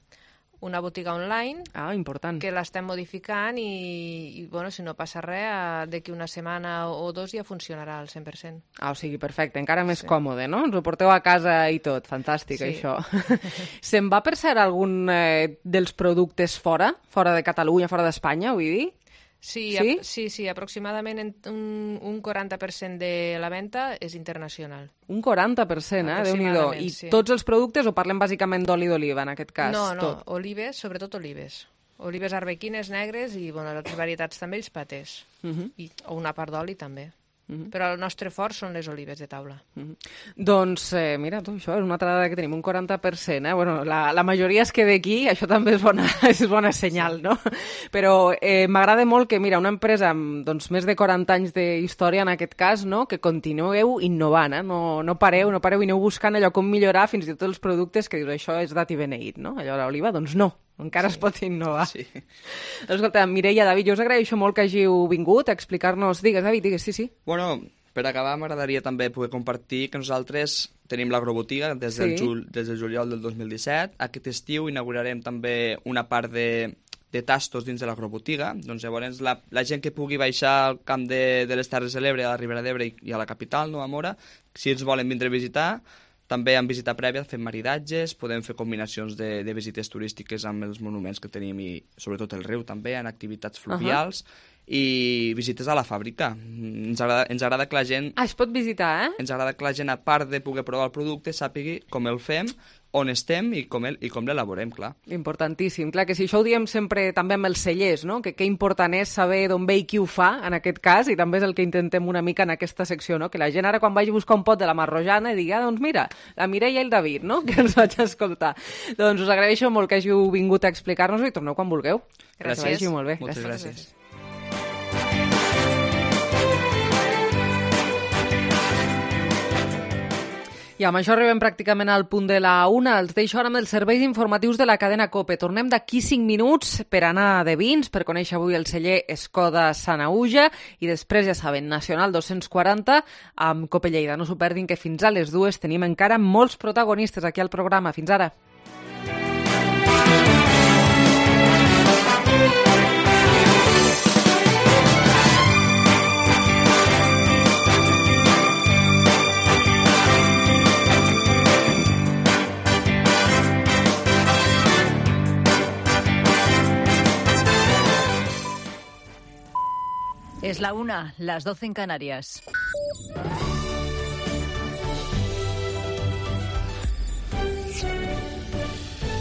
botiga online important, que l'estem modificant i si no passa res, d'aquí una setmana o dos ja funcionarà al 100%. O sigui, perfecte, encara més còmode, no? Ens ho porteu a casa i tot, fantàstic, això. Se'n va, per cert, algun dels productes fora de Catalunya, fora d'Espanya, vull dir? Sí, aproximadament un 40% de la venda és internacional. Un 40%, Déu-n'hi-do. I tots els productes, o parlem bàsicament d'oli d'oliva, en aquest cas? No, olives, sobretot olives. Olives arbequines negres i, les varietats també, els patés. O una part d'oli també. Però el nostre fort són les olives de taula. Doncs, mira, això és una altra dada que tenim, un 40%. La majoria es queda aquí, això també és bona senyal, no? Però m'agrada molt que, mira, una empresa amb més de 40 anys d'història, en aquest cas, no?, que continueu innovant, no pareu i aneu buscant allò com millorar, fins i tot els productes que dius, això és dat i beneït, no? Allò l'oliva, doncs no. Encara es pot innovar. Sí. Escolta, Mireia, David, jo us agraeixo molt que hàgiu vingut a explicar-nos... Digues, David, digues, sí. Per acabar, m'agradaria també poder compartir que nosaltres tenim l'agrobotiga des del juliol del 2017. Aquest estiu inaugurarem també una part de de tastos dins de l'agrobotiga. Doncs llavors la gent que pugui baixar al camp de les Terres de l'Ebre, a la Ribera d'Ebre i a la capital, no, a Móra, si ens volen vindre a visitar, també en visita prèvia fem maridatges, podem fer combinacions de visites turístiques amb els monuments que tenim i sobretot el riu també, en activitats fluvials, i visites a la fàbrica. Ens agrada que la gent... es pot visitar, eh? Ens agrada que la gent, a part de poder provar el producte, sàpigui com el fem, on estem i com l'elaborem, clar. Importantíssim. Clar que si això ho diem sempre també amb els cellers, no? Que important és saber d'on ve i qui ho fa, en aquest cas, i també és el que intentem una mica en aquesta secció, no? Que la gent ara quan vagi a buscar un pot de la Marrojana digui, doncs mira, la Mireia i el David, no? Que els vaig escoltar. Doncs us agraeixo molt que hàgiu vingut a explicar-nos-ho i torneu quan vulgueu. Gràcies. Que vagi molt bé. Moltes gràcies. I amb això arribem pràcticament al punt de la 1. Els deixo ara amb els serveis informatius de la cadena COPE. Tornem d'aquí 5 minuts per anar de vins, per conèixer avui el celler Escoda Sanaüja i després, ja saben, Nacional 240 amb COPE Lleida. No s'ho perdin, que fins a les 2 tenim encara molts protagonistes aquí al programa. Fins ara. Es la 1, las 12 en Canarias.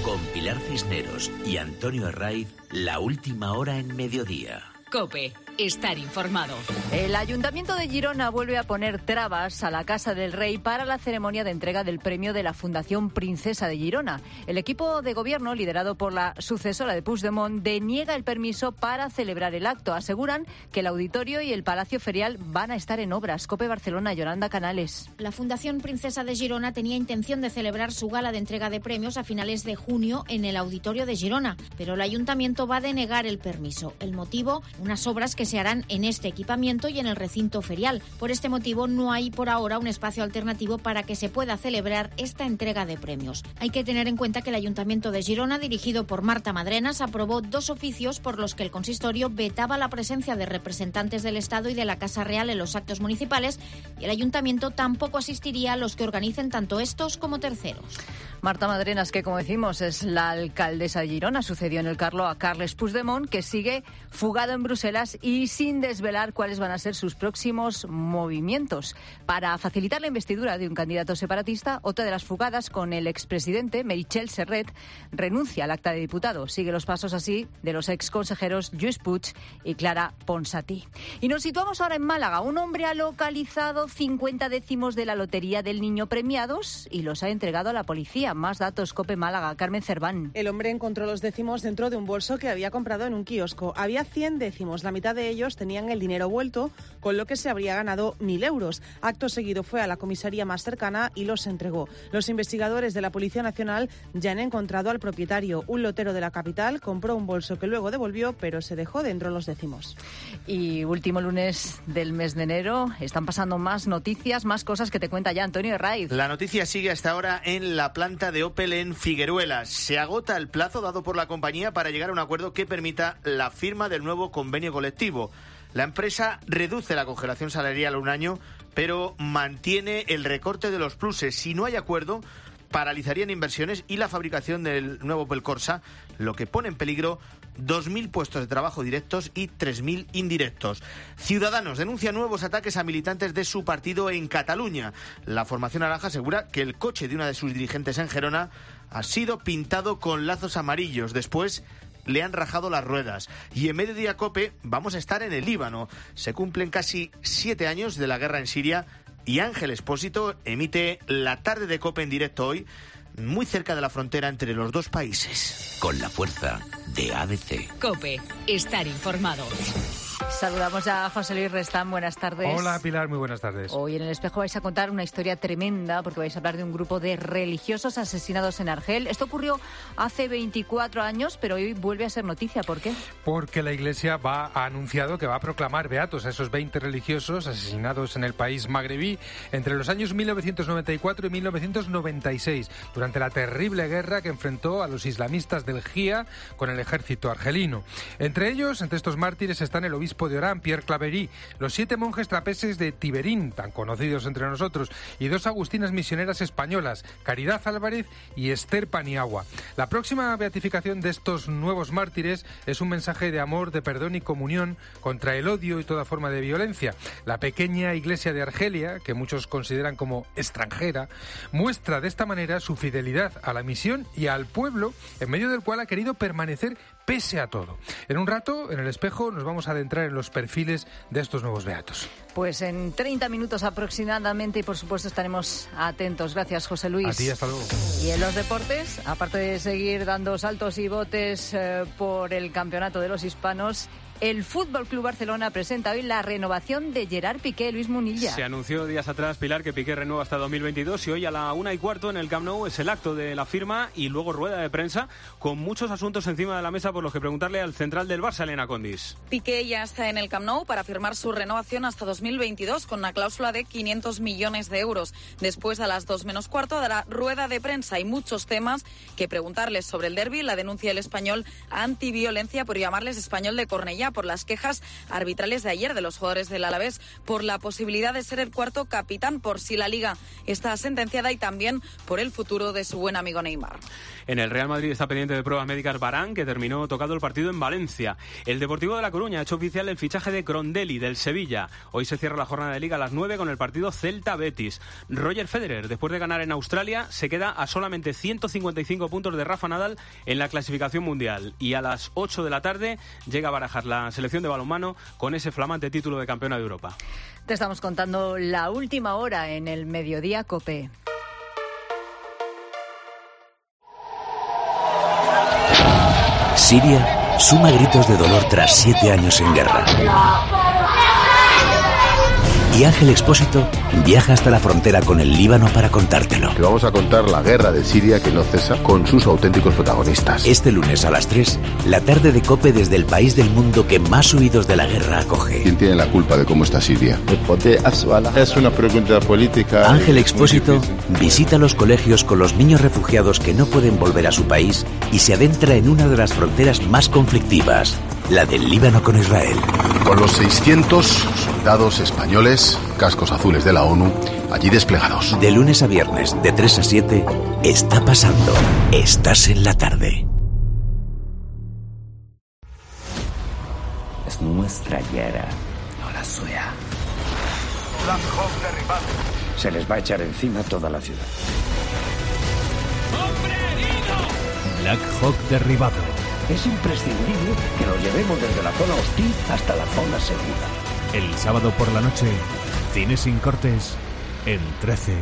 Con Pilar Cisneros y Antonio Herraiz, la última hora en mediodía. COPE. Estar informado. El Ayuntamiento de Girona vuelve a poner trabas a la Casa del Rey para la ceremonia de entrega del premio de la Fundación Princesa de Girona. El equipo de gobierno, liderado por la sucesora de Puigdemont, deniega el permiso para celebrar el acto. Aseguran que el auditorio y el Palacio Ferial van a estar en obras. COPE Barcelona, Yolanda Canales. La Fundación Princesa de Girona tenía intención de celebrar su gala de entrega de premios a finales de junio en el auditorio de Girona, pero el Ayuntamiento va a denegar el permiso. El motivo, unas obras que se harán en este equipamiento y en el recinto ferial. Por este motivo no hay por ahora un espacio alternativo para que se pueda celebrar esta entrega de premios. Hay que tener en cuenta que el Ayuntamiento de Girona, dirigido por Marta Madrenas, aprobó 2 oficios por los que el consistorio vetaba la presencia de representantes del Estado y de la Casa Real en los actos municipales, y el Ayuntamiento tampoco asistiría a los que organicen tanto estos como terceros. Marta Madrenas, que como decimos es la alcaldesa de Girona, sucedió en el Carlo a Carles Puigdemont, que sigue fugado en Bruselas y sin desvelar cuáles van a ser sus próximos movimientos. Para facilitar la investidura de un candidato separatista, otra de las fugadas con el expresidente, Meritxell Serret, renuncia al acta de diputado. Sigue los pasos así de los exconsejeros Lluís Puig y Clara Ponsatí. Y nos situamos ahora en Málaga. Un hombre ha localizado 50 décimos de la Lotería del Niño premiados y los ha entregado a la policía. Más datos, COPE Málaga, Carmen Cerván. El hombre encontró los décimos dentro de un bolso que había comprado en un kiosco. Había 100 décimos, la mitad de ellos tenían el dinero vuelto, con lo que se habría ganado 1.000 euros. Acto seguido fue a la comisaría más cercana y los entregó. Los investigadores de la Policía Nacional ya han encontrado al propietario. Un lotero de la capital compró un bolso que luego devolvió, pero se dejó dentro los décimos. Y último lunes del mes de enero, están pasando más noticias, más cosas que te cuenta ya Antonio Herraiz. La noticia sigue hasta ahora en la planta de Opel en Figueruelas. Se agota el plazo dado por la compañía para llegar a un acuerdo que permita la firma del nuevo convenio colectivo. La empresa reduce la congelación salarial a un año, pero mantiene el recorte de los pluses. Si no hay acuerdo, paralizarían inversiones y la fabricación del nuevo Opel Corsa, lo que pone en peligro 2.000 puestos de trabajo directos y 3.000 indirectos. Ciudadanos denuncia nuevos ataques a militantes de su partido en Cataluña. La formación naranja asegura que el coche de una de sus dirigentes en Gerona ha sido pintado con lazos amarillos. Después le han rajado las ruedas. Y en Mediodía COPE vamos a estar en el Líbano. Se cumplen casi 7 años de la guerra en Siria y Ángel Expósito emite la tarde de COPE en directo hoy, muy cerca de la frontera entre los dos países. Con la fuerza de ABC. COPE. Estar informado. Saludamos a José Luis Restán, buenas tardes. Hola Pilar, muy buenas tardes. Hoy en El Espejo vais a contar una historia tremenda porque vais a hablar de un grupo de religiosos asesinados en Argel. Esto ocurrió hace 24 años, pero hoy vuelve a ser noticia. ¿Por qué? Porque la Iglesia ha anunciado que va a proclamar beatos a esos 20 religiosos asesinados en el país magrebí entre los años 1994 y 1996, durante la terrible guerra que enfrentó a los islamistas del GIA con el ejército argelino. Entre estos mártires están el obispo de Orán, Pierre Claverie, los 7 monjes trapeses de Tiberín, tan conocidos entre nosotros, y 2 agustinas misioneras españolas, Caridad Álvarez y Esther Paniagua. La próxima beatificación de estos nuevos mártires es un mensaje de amor, de perdón y comunión contra el odio y toda forma de violencia. La pequeña iglesia de Argelia, que muchos consideran como extranjera, muestra de esta manera su fidelidad a la misión y al pueblo, en medio del cual ha querido permanecer pese a todo. En un rato, en El Espejo, nos vamos a adentrar en los perfiles de estos nuevos beatos. Pues en 30 minutos aproximadamente y por supuesto estaremos atentos. Gracias, José Luis. A ti, hasta luego. Y en los deportes, aparte de seguir dando saltos y botes por el campeonato de los hispanos, el Fútbol Club Barcelona presenta hoy la renovación de Gerard Piqué. Luis Munilla. Se anunció días atrás, Pilar, que Piqué renueva hasta 2022 y hoy a la 1:15 en el Camp Nou es el acto de la firma y luego rueda de prensa con muchos asuntos encima de la mesa por los que preguntarle al central del Barça, Elena Condis. Piqué ya está en el Camp Nou para firmar su renovación hasta 2022 con una cláusula de 500 millones de euros. Después, a las 2:15, dará rueda de prensa y muchos temas que preguntarles sobre el derbi, la denuncia del Español a antiviolencia por llamarles Español de Cornellá, por las quejas arbitrales de ayer de los jugadores del Alavés, por la posibilidad de ser el cuarto capitán por si la Liga está sentenciada y también por el futuro de su buen amigo Neymar. En el Real Madrid está pendiente de pruebas médicas Varane, que terminó tocado el partido en Valencia. El Deportivo de La Coruña ha hecho oficial el fichaje de Crondelli del Sevilla. Hoy se cierra la jornada de Liga a las 9 con el partido Celta-Betis. Roger Federer, después de ganar en Australia, se queda a solamente 155 puntos de Rafa Nadal en la clasificación mundial. Y a las 8 de la tarde llega a barajar la selección de balonmano con ese flamante título de campeona de Europa. Te estamos contando la última hora en el Mediodía COPE. Siria suma gritos de dolor tras 7 años en guerra. Y Ángel Expósito viaja hasta la frontera con el Líbano para contártelo. Te vamos a contar la guerra de Siria que no cesa con sus auténticos protagonistas. Este lunes a las 3, la tarde de COPE desde el país del mundo que más huidos de la guerra acoge. ¿Quién tiene la culpa de cómo está Siria? Es una pregunta política. Ángel Expósito visita los colegios con los niños refugiados que no pueden volver a su país y se adentra en una de las fronteras más conflictivas, la del Líbano con Israel. Con los 600 soldados españoles, cascos azules de la ONU, allí desplegados. De lunes a viernes, de 3 a 7, está pasando. Estás en la tarde. Es nuestra guerra, no la suya. Black Hawk derribado. Se les va a echar encima toda la ciudad. ¡Hombre herido! Black Hawk derribado. Es imprescindible que nos llevemos desde la zona hostil hasta la zona segura. El sábado por la noche, Cine sin cortes, en 13.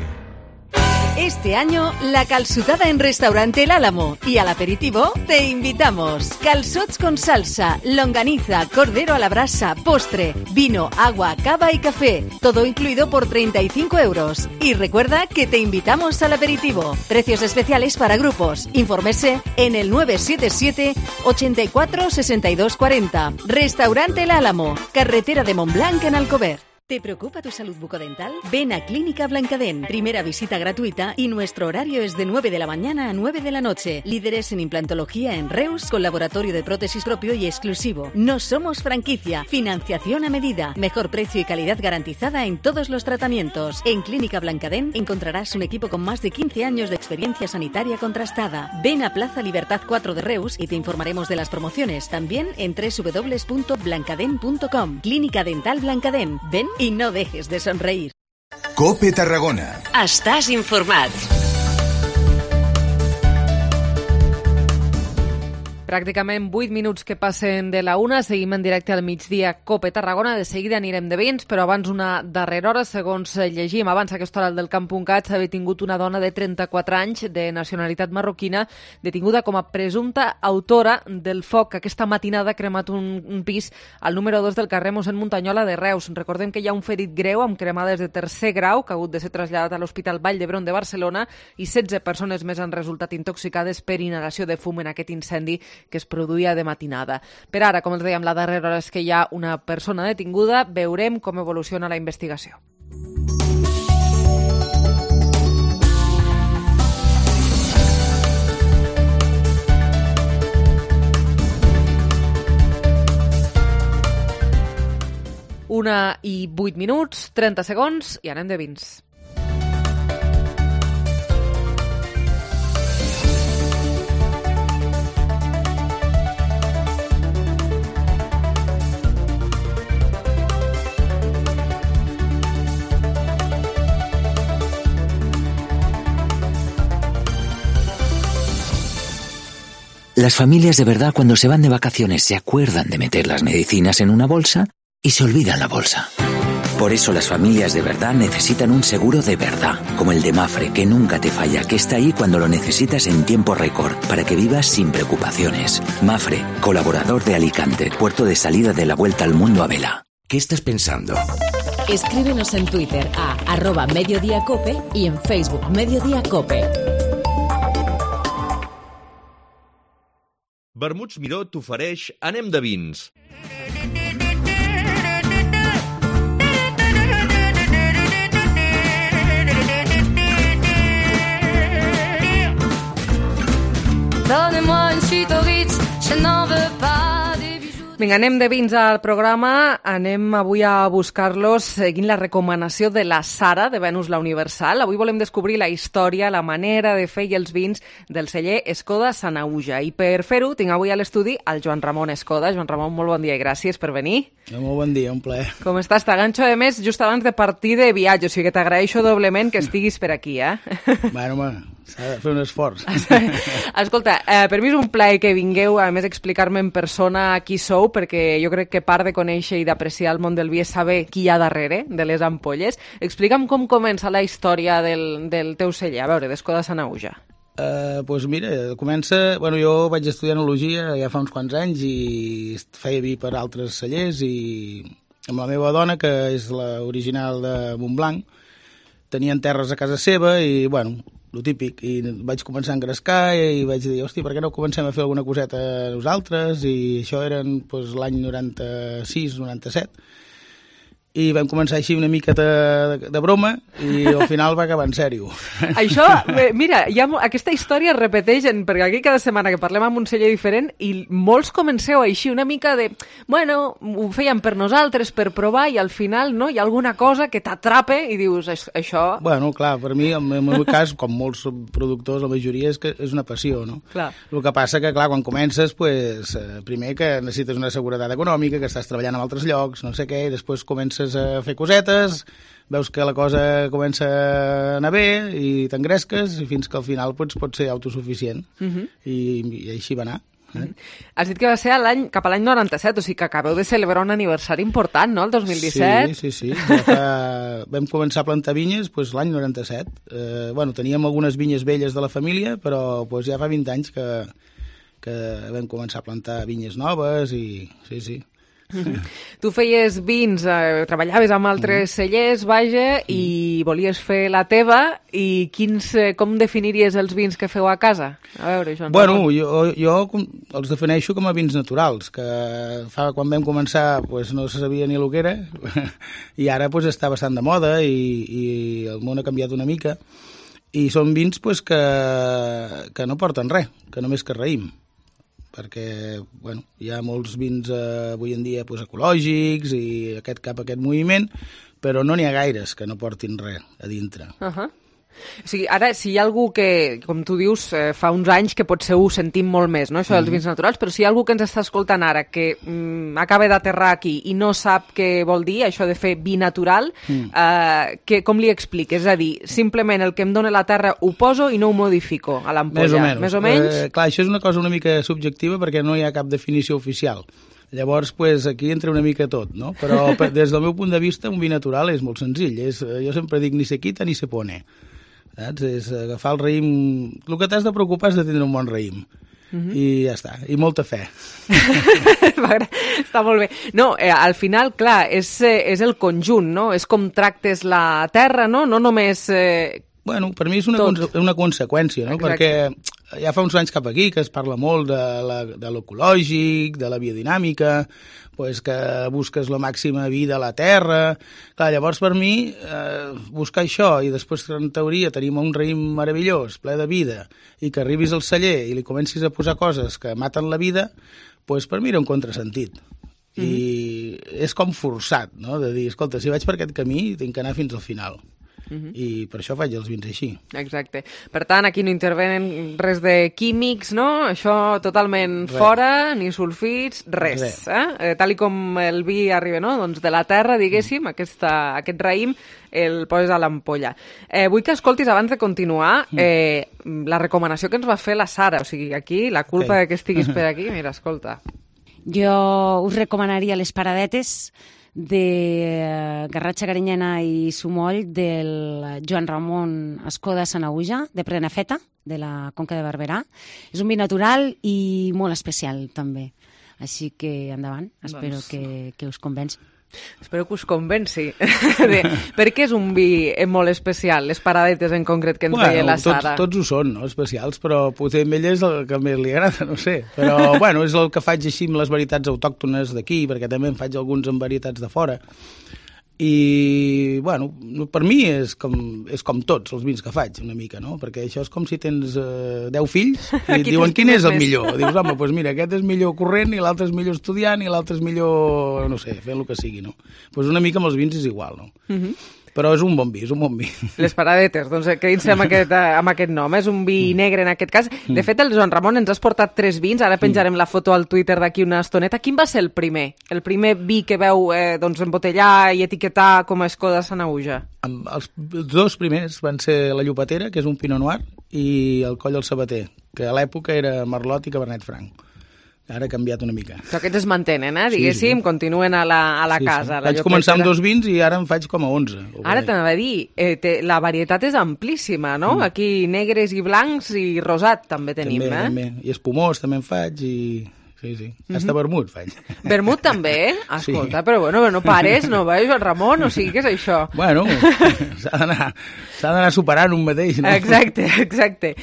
Este año, la calçotada en Restaurante El Álamo y al aperitivo te invitamos. Calçots con salsa, longaniza, cordero a la brasa, postre, vino, agua, cava y café. Todo incluido por 35 euros. Y recuerda que te invitamos al aperitivo. Precios especiales para grupos. Infórmese en el 977 84 62 40. Restaurante El Álamo, carretera de Montblanc en Alcover. ¿Te preocupa tu salud bucodental? Ven a Clínica Blancadent. Primera visita gratuita y nuestro horario es de 9 de la mañana a 9 de la noche. Líderes en implantología en Reus, con laboratorio de prótesis propio y exclusivo. No somos franquicia. Financiación a medida. Mejor precio y calidad garantizada en todos los tratamientos. En Clínica Blancadent encontrarás un equipo con más de 15 años de experiencia sanitaria contrastada. Ven a Plaza Libertad 4 de Reus y te informaremos de las promociones. También en www.blancadent.com. Clínica Dental Blancadent. Ven y no dejes de sonreír. COPE Tarragona. Estàs informat. Pràcticament 8 minuts que passen de la 1, seguim en directe al migdia COPE Tarragona, de seguida anirem de vins, però abans una darrera hora, segons llegim abans aquesta hora del Camp.cat, s'ha detingut una dona de 34 anys de nacionalitat marroquina, detinguda com a presumpta autora del foc que aquesta matinada ha cremat un pis al número 2 del carrer Mossèn Muntanyola de Reus. Recordem que hi ha un ferit greu amb cremades de tercer grau que ha hagut de ser traslladat a l'Hospital Vall d'Hebron de Barcelona i 16 persones més han resultat intoxicades per inhalació de fum en aquest incendi que es produïa de matinada. Per ara, com els dèiem, la darrera hora és que hi ha una persona detinguda. Veurem com evoluciona la investigació. Una i 8 minuts, 30 segons i anem de vins. Las familias de verdad cuando se van de vacaciones se acuerdan de meter las medicinas en una bolsa y se olvidan la bolsa. Por eso las familias de verdad necesitan un seguro de verdad, como el de Mapfre, que nunca te falla, que está ahí cuando lo necesitas en tiempo récord, para que vivas sin preocupaciones. Mapfre, colaborador de Alicante, puerto de salida de la vuelta al mundo a vela. ¿Qué estás pensando? Escríbenos en Twitter a @mediodiacope y en Facebook Mediodiacope. Vermuts Miró t'ofereix Anem de vins. Donnez-moi une suite au Ritz, je n'en veux pas des bijoux. Vinga, anem de vins al programa. Anem avui a buscar-los seguint la recomanació de la Sara, de Venus la Universal. Avui volem descobrir la història, la manera de fer i els vins del celler Escoda Sanaüja. I per fer-ho tinc avui a l'estudi el Joan Ramon Escoda. Joan Ramon, molt bon dia i gràcies per venir. Molt bon dia, un plaer. Com estàs? T'aganxo, a més, just abans de partir de viatge, o sigui que t'agraeixo doblement que estiguis per aquí, Bueno, home, s'ha de fer un esforç. Escolta, per mi és un plaer que vingueu, a més, explicar-me en persona qui sou, perquè jo crec que part de conèixer i d'apreciar el món del vi és saber qui hi ha darrere de les ampolles. Explica'm com comença la història del teu celler, a veure, d'Escoda Sanaüja. Doncs mira, comença... Bueno, jo vaig estudiar enologia ja fa uns quants anys i feia vi per altres cellers i amb la meva dona, que és l'original de Montblanc, tenien terres a casa seva i, bueno, lo típic, i vaig començar a engrescar i vaig dir, hosti, per què no comencem a fer alguna coseta nosaltres? I això eren doncs, l'any 96, 97, i vam començar així una mica de broma i al final va acabar en sèrio. Això, mira, aquesta història es repeteix, perquè aquí cada setmana que parlem amb un celler diferent i molts comenceu així, una mica de, bueno, ho fèiem per nosaltres, per provar, i al final no, hi ha alguna cosa que t'atrapa i dius, això... Bueno, clar, per mi, en el meu cas, com molts productors, la majoria és que és una passió, no? Clar. El que passa que, clar, quan comences, pues, primer que necessites una seguretat econòmica, que estàs treballant en altres llocs, no sé què, i després comences a fer cosetes, veus que la cosa comença a anar bé i t'engresques i fins que al final pots ser autosuficient. I així va anar. Has dit que va ser cap a l'any 97, o sigui que acabeu de celebrar un aniversari important, no?, el 2017. Sí. Vam començar a plantar vinyes l'any 97. Teníem algunes vinyes velles de la família, però ja fa 20 anys que vam començar a plantar vinyes noves i sí. Tu feies vins, treballaves amb altres cellers, vaja, i volies fer la teva, i com definiries els vins que feu a casa? A veure, Joan. Bueno, jo els defineixo com a vins naturals, que quan vam començar no se sabia ni el que era, i ara està bastant de moda i el món ha canviat una mica, i són vins que no porten res, que només que raïm, perquè hi ha molts vins avui en dia ecològics i cap aquest moviment, però no n'hi ha gaires que no portin res a dintre. O sigui, ara, si hi ha algú que, com tu dius, fa uns anys que potser ho sentim molt més, no?, això dels vins naturals, però si hi ha algú que ens està escoltant ara que acaba d'aterrar aquí i no sap què vol dir això de fer vi natural, com li expliques? És a dir, simplement el que em dona la terra ho poso i no ho modifico a l'ampolla. Més o menys? Clar, això és una cosa una mica subjectiva perquè no hi ha cap definició oficial. Llavors, aquí entra una mica tot, no? Però des del meu punt de vista, un vi natural és molt senzill. Jo sempre dic ni se quita ni se pone. Saps? És agafar el raïm... El que t'has de preocupar és de tindre un bon raïm. I ja està. I molta fe. Està molt bé. No, al final, clar, és el conjunt, no? És com tractes la terra, no? No només... Bueno, per mi és una conseqüència, no? Exacte. Perquè ja fa uns anys cap aquí que es parla molt de l'ecològic, de la biodinàmica, que busques la màxima vida a la terra. Clar, llavors per mi buscar això i després en teoria tenim un raïm meravellós, ple de vida, i que arribis al celler i li comencis a posar coses que maten la vida, per mi era un contrasentit. I és com forçat, no?, de dir, escolta, si vaig per aquest camí tinc que anar fins al final. I per això faig els vins així. Exacte. Per tant, aquí no intervenen res de químics, no? Això totalment fora, ni sulfits, res. Tal com el vi arriba, no?, doncs de la terra, diguéssim, aquest raïm el poses a l'ampolla. Vull que escoltis, abans de continuar, la recomanació que ens va fer la Sara. O sigui, aquí, la culpa que estiguis per aquí, mira, escolta. Jo us recomanaria les paradetes de Garratxa Carinyena i Sumoll del Joan Ramon Escoda Sanaüja, de Prenafeta, de la Conca de Barberà. És un vi natural i molt especial, també. Així que endavant, espero que us convenci. Espero que us convenci. Per què és un vi molt especial, les paradetes en concret que ens deia la Sara? Tots ho són, no?, especials, però potser a ell és el que més li agrada, no sé. Però, és el que faig així amb les varietats autòctones d'aquí, perquè també en faig alguns amb varietats de fora. I, per mi és com tots els vins que faig, una mica, no? Perquè això és com si tens 10 fills i et diuen quin és el millor. Dius, home, doncs mira, aquest és millor corrent i l'altre és millor estudiant i l'altre és millor, no sé, fent el que sigui, no? Doncs una mica amb els vins és igual, no? Però és un bon vi, és un bon vi. Les paradetes, doncs quedin-se amb aquest nom. És un vi negre en aquest cas. De fet, el Joan Ramon ens has portat 3 vins, ara penjarem la foto al Twitter d'aquí una estoneta. Quin va ser el primer? El primer vi que veu embotellar i etiquetar com a Escoda Sanaüja? Els 2 primers van ser la Llopatera, que és un Pinot Noir, i el Coll del Sabater, que a l'època era Merlot i Cabernet Franc. Ara ha canviat una mica. Però aquests es mantenen, diguéssim, continuen a la casa. Vaig començar amb 2 vins i ara en faig com a 11. Ara t'anava a dir, la varietat és amplíssima, no? Aquí negres i blancs i rosat també tenim, També. I espumós també en faig i... Sí. Hasta vermut faig. Vermut també? Escolta, però no pares, no veus, el Ramon? O sigui, què és això? Bueno, s'ha d'anar superant un mateix, no? Exacte.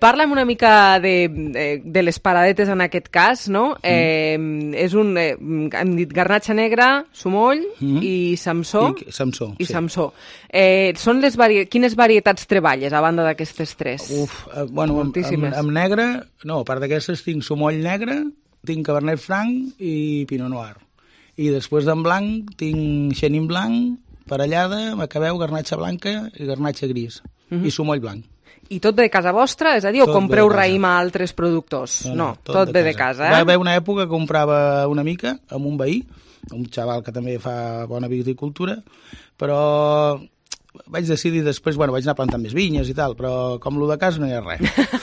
Parla'm una mica de les paradetes en aquest cas, no? És hem dit garnatxa negra, Sumoll i Samsó. I Samsó. Quines varietats treballes a banda d'aquestes 3? Moltíssimes. Amb negre, no, a part d'aquestes tinc Sumoll negre, tinc Cabernet Franc i Pinot Noir. I després d'en blanc tinc Chenin blanc, parellada, Macabeu, garnatxa blanca i garnatxa gris. I Sumoll blanc. I tot ve de casa vostra? És a dir, o compreu raïm a altres productors? No, tot ve de casa. Va haver una època que comprava una mica amb un veí, un xaval que també fa bona viticultura, però vaig decidir després, vaig anar plantant més vinyes i tal, però com lo de casa no hi ha res.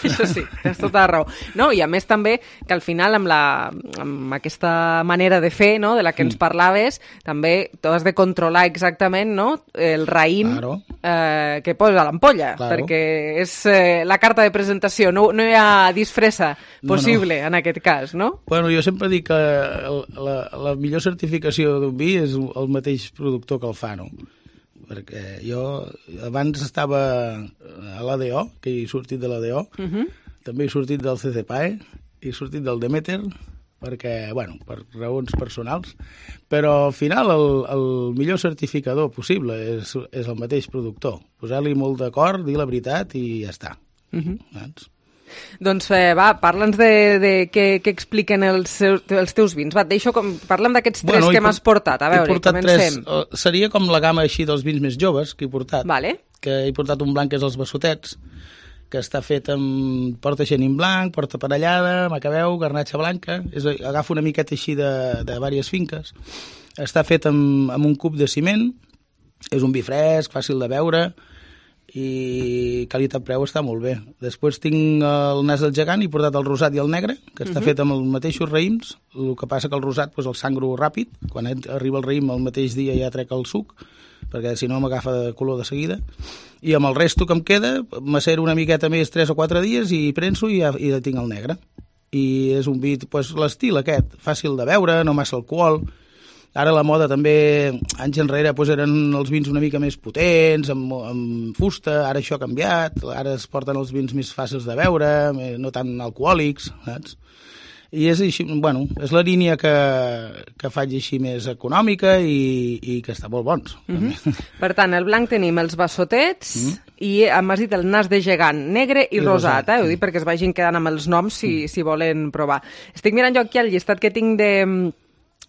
Això sí, tens tota la raó. No, i a més també que al final amb aquesta manera de fer, no, de la que ens parlaves, també tu has de controlar exactament, no, el raïm que poses a l'ampolla, perquè és la carta de presentació, no hi ha disfressa possible en aquest cas, no? Bueno, jo sempre dic que la millor certificació d'un vi és el mateix productor que el fa, no? Perquè jo abans estava a l'ADO, que he sortit de l'ADO, també he sortit del CCPAE, he sortit del Demeter, perquè, per raons personals, però al final el millor certificador possible és el mateix productor. Posar-li molt d'acord, dir la veritat i ja està. Doncs parla'ns de què expliquen els teus vins. Parla'm d'aquests 3 que m'has portat. A veure, comencem. Seria com la gamma així dels vins més joves que he portat. Vale. que he portat un blanc que és els Bassotets, que està fet amb porta xenin blanc, porta parellada, macabeu, garnatxa blanca, agafa una miqueta així de diverses finques. Està fet amb un cub de ciment, és un vi fresc, fàcil de beure, i qualitat-preu està molt bé. Després tinc el nas del gegant i he portat el rosat i el negre, que està fet amb els mateixos raïms, el que passa que el rosat el sangro ràpid, quan arriba el raïm el mateix dia ja trec el suc, perquè si no m'agafa de color de seguida, i amb el resto que em queda m'acero una miqueta més 3 o 4 dies i prenso i ja tinc el negre. I és un vi, l'estil aquest, fàcil de beure, no massa alcohol. Ara la moda també, anys enrere, eren els vins una mica més potents, amb fusta, ara això ha canviat, ara es porten els vins més fàcils de beure, no tan alcohòlics, saps? I és així, és la línia que faig així més econòmica i que està molt bons. Per tant, el blanc tenim els Bassotets i m'has dit el nas de gegant, negre i rosat, ho dic perquè es vagin quedant amb els noms si volen provar. Estic mirant jo aquí el llistat que tinc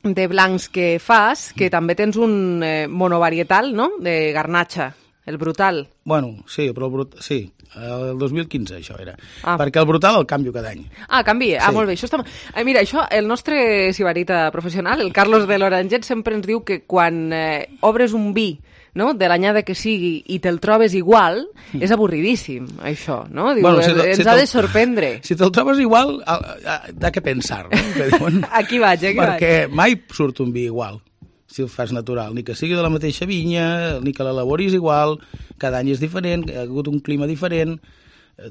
de blancs que fas, que també tens un monovarietal, no?, de garnatxa, el brutal. Bueno, sí, però sí, el 2015 això era, perquè el brutal el canvio cada any. Canvia, sí. Molt bé. Això està... Mira, això, el nostre sibarita professional, el Carlos de l'Oranget, sempre ens diu que quan obres un vi, no?, de l'anyada que sigui i te'l trobes igual, és avorridíssim, això, no? Diu, ens ha de sorprendre. Si te'l trobes igual, ha que pensar, no? Aquí vaig. Perquè mai surt un vi igual, si el fas natural, ni que sigui de la mateixa vinya, ni que l'elaboris igual, cada any és diferent, ha hagut un clima diferent,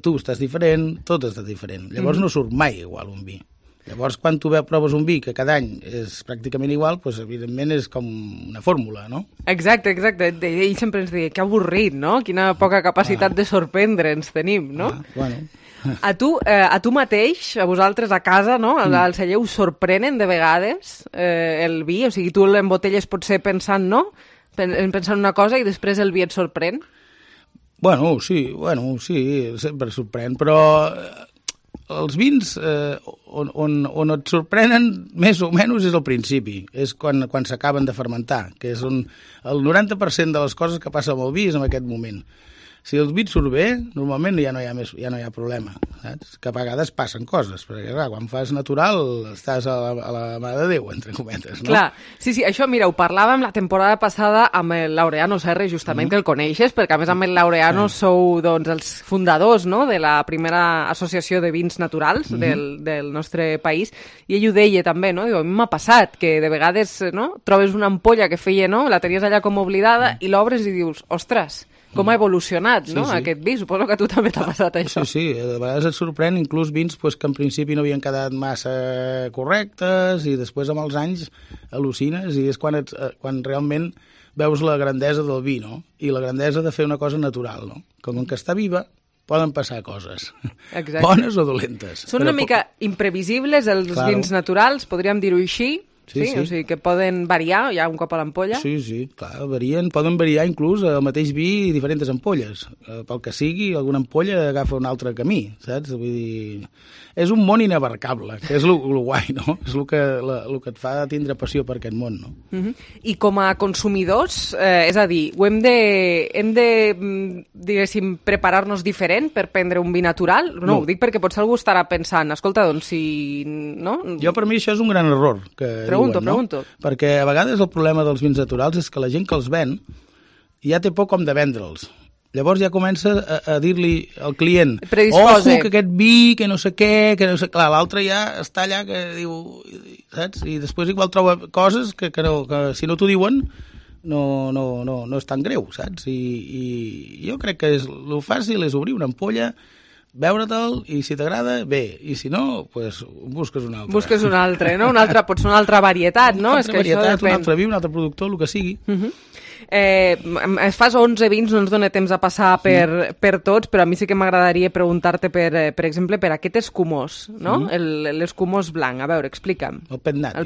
tu estàs diferent, tot està diferent. Llavors no surt mai igual un vi. Llavors, quan tu proves un vi que cada any és pràcticament igual, doncs, evidentment és com una fórmula, no? Exacte. Ell sempre ens deia, que avorrit, no? Quina poca capacitat de sorprendre'ns tenim, no? A tu mateix, a vosaltres a casa, no? Al celler us sorprenen de vegades el vi? O sigui, tu l'embotelles potser pensant, no? Pensant una cosa i després el vi et sorprèn? Sí, sempre sorprèn, però els vins on et sorprenen més o menys és al principi, és quan s'acaben de fermentar, que és on el 90% de les coses que passa amb el vi és en aquest moment. Si el vi et surt bé, normalment ja no hi ha problema, saps? Que a vegades passen coses, perquè clar, quan fas natural estàs a la mà de Déu, entre cometes, no? Clar, sí, això, mira, ho parlàvem la temporada passada amb el Laureano Serra, justament, que el coneixes, perquè a més amb el Laureano sou, doncs, els fundadors, no?, de la primera associació de vins naturals del nostre país, i ell ho deia també, no?, diu, a mi m'ha passat que de vegades, no?, trobes una ampolla que feia, no?, la tenies allà com oblidada i l'obres i dius, ostres, com ha evolucionat, no?, aquest vi. Suposo que a tu també t'ha passat això. Sí, de vegades et sorprèn inclús vins que en principi no havien quedat massa correctes i després amb els anys al·lucines i és quan realment veus la grandesa del vi, no? I la grandesa de fer una cosa natural, no? Com que està viva, poden passar coses, bones o dolentes. Són una mica imprevisibles els vins naturals, podríem dir-ho així. Sí, o sigui que poden variar ja un cop a l'ampolla? Sí, clar, poden variar inclús el mateix vi i diferents ampolles. Pel que sigui, alguna ampolla agafa un altre camí, saps? Vull dir, és un món inabarcable, que és el guai, no? És el que et fa tindre passió per aquest món, no? I com a consumidors, és a dir, hem de diguéssim, preparar-nos diferent per prendre un vi natural? No, ho dic perquè potser algú estarà pensant, escolta, doncs si... no? Jo, per mi, això és un gran error, que Pregunto. Perquè a vegades el problema dels vins naturals és que la gent que els ven ja té por com de vendre'ls. Llavors ja comença a dir-li al client, ojo, que aquest vi, que no sé què, que no sé... Clar, l'altre ja està allà que diu, saps? I després igual troba coses que si no t'ho diuen no és tan greu, saps? I jo crec que el fàcil és obrir una ampolla, veure-te'l, i si t'agrada, bé, i si no, doncs busques un altre. Busques un altre, no? Pot ser una altra varietat, no? Una altra varietat, un altre vi, un altre productor, el que sigui. Fas 11 vins, no ens dona temps a passar per tots, però a mi sí que m'agradaria preguntar-te, per exemple, per aquest escumós, no? L'escumós blanc. A veure, explica'm. El petnat.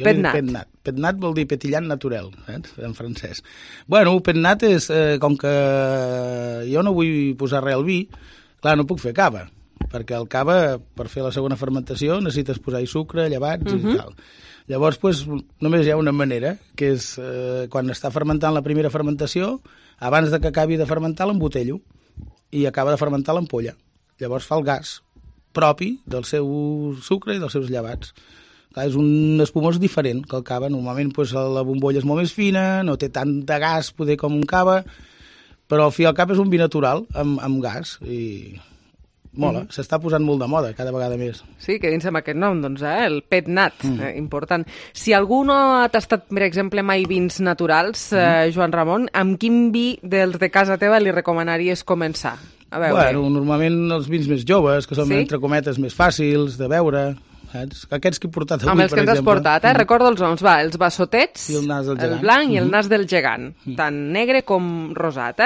Petnat vol dir petillant naturel, saps? En francès. Bueno, el petnat és, com que jo no vull posar res al vi, clar, no puc fer cava, perquè el cava, per fer la segona fermentació, necessites posar-hi sucre, llevats i tal. Llavors, només hi ha una manera, que és quan està fermentant la primera fermentació, abans de que acabi de fermentar l'embotello i acaba de fermentar l'ampolla. Llavors fa el gas propi del seu sucre i dels seus llevats. Clar, és un espumós diferent que el cava. Normalment la bombolla és molt més fina, no té tant de gas poder com un cava, però al fi i al cap és un vi natural amb gas i mola. S'està posant molt de moda cada vegada més. Sí, que dins amb aquest nom, doncs, el Pet Nat, important. Si algú no ha tastat, per exemple, mai vins naturals, Joan Ramon, amb quin vi dels de casa teva li recomanaries començar? A veure. Bueno, normalment els vins més joves, que són, entre cometes, més fàcils de beure, saps? Aquests que he portat avui, amb els que ens has portat, recordo els noms, els bassotets, el blanc i el nas del gegant, tant negre com rosat,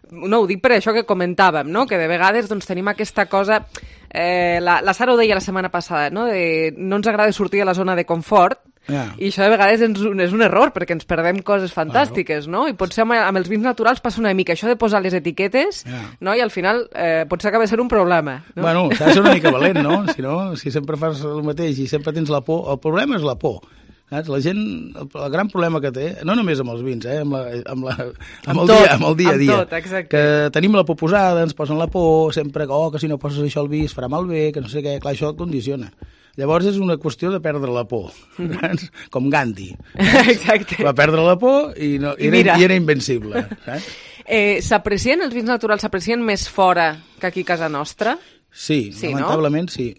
No, ho dic per això que comentàvem, no? Que de vegades doncs, tenim aquesta cosa... la Sara ho deia la setmana passada, no? No ens agrada sortir de la zona de confort, i això de vegades és un error, perquè ens perdem coses fantàstiques, no? I potser amb els vins naturals passa una mica això de posar les etiquetes, no? I al final potser acaba sent un problema. No? Bueno, s'ha de ser una mica valent, no? Si sempre fas el mateix i sempre tens la por, el problema és la por. Saps? La gent, el gran problema que té, no només amb els vins, amb el dia a dia, que tenim la por posada, ens posen la por, sempre que si no poses això al vi es farà malbé, que no sé què, clar, això et condiciona. Llavors és una qüestió de perdre la por, com Gandhi. Exacte. Va perdre la por i era invencible. S'aprecien els vins naturals, s'aprecien més fora que aquí a casa nostra? Sí, lamentablement sí.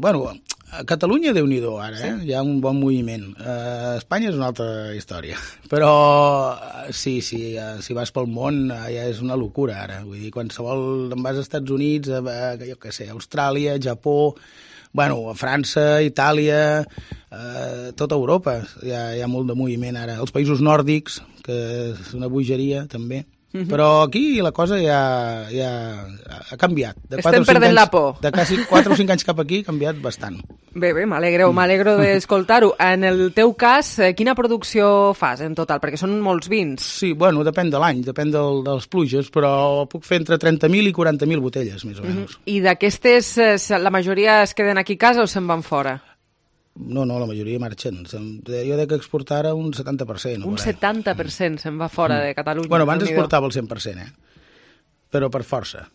Bueno, a Catalunya, Déu-n'hi-do, ara, hi ha un bon moviment. A Espanya és una altra història. Però sí, si vas pel món ja és una locura, ara. Vull dir, qualsevol... Em vas als Estats Units, jo què sé, Austràlia, Japó, bueno, a França, Itàlia, tota Europa. Hi ha molt de moviment ara. Els països nòrdics, que és una bogeria, també. Però aquí la cosa ja ha canviat. Estem perdent la por. De quasi 4 o 5 anys cap aquí ha canviat bastant. Bé, m'alegro d'escoltar-ho. En el teu cas, quina producció fas en total? Perquè són molts vins. Sí, bueno, depèn de l'any, depèn dels pluges, però puc fer entre 30.000 i 40.000 botelles, més o menys. I d'aquestes, la majoria es queden aquí a casa o se'n van fora? No, la majoria marxen. Jo dec exportar ara un 70%. Un 70% se'n va fora de Catalunya. Bueno, abans exportava el 100%, però per força.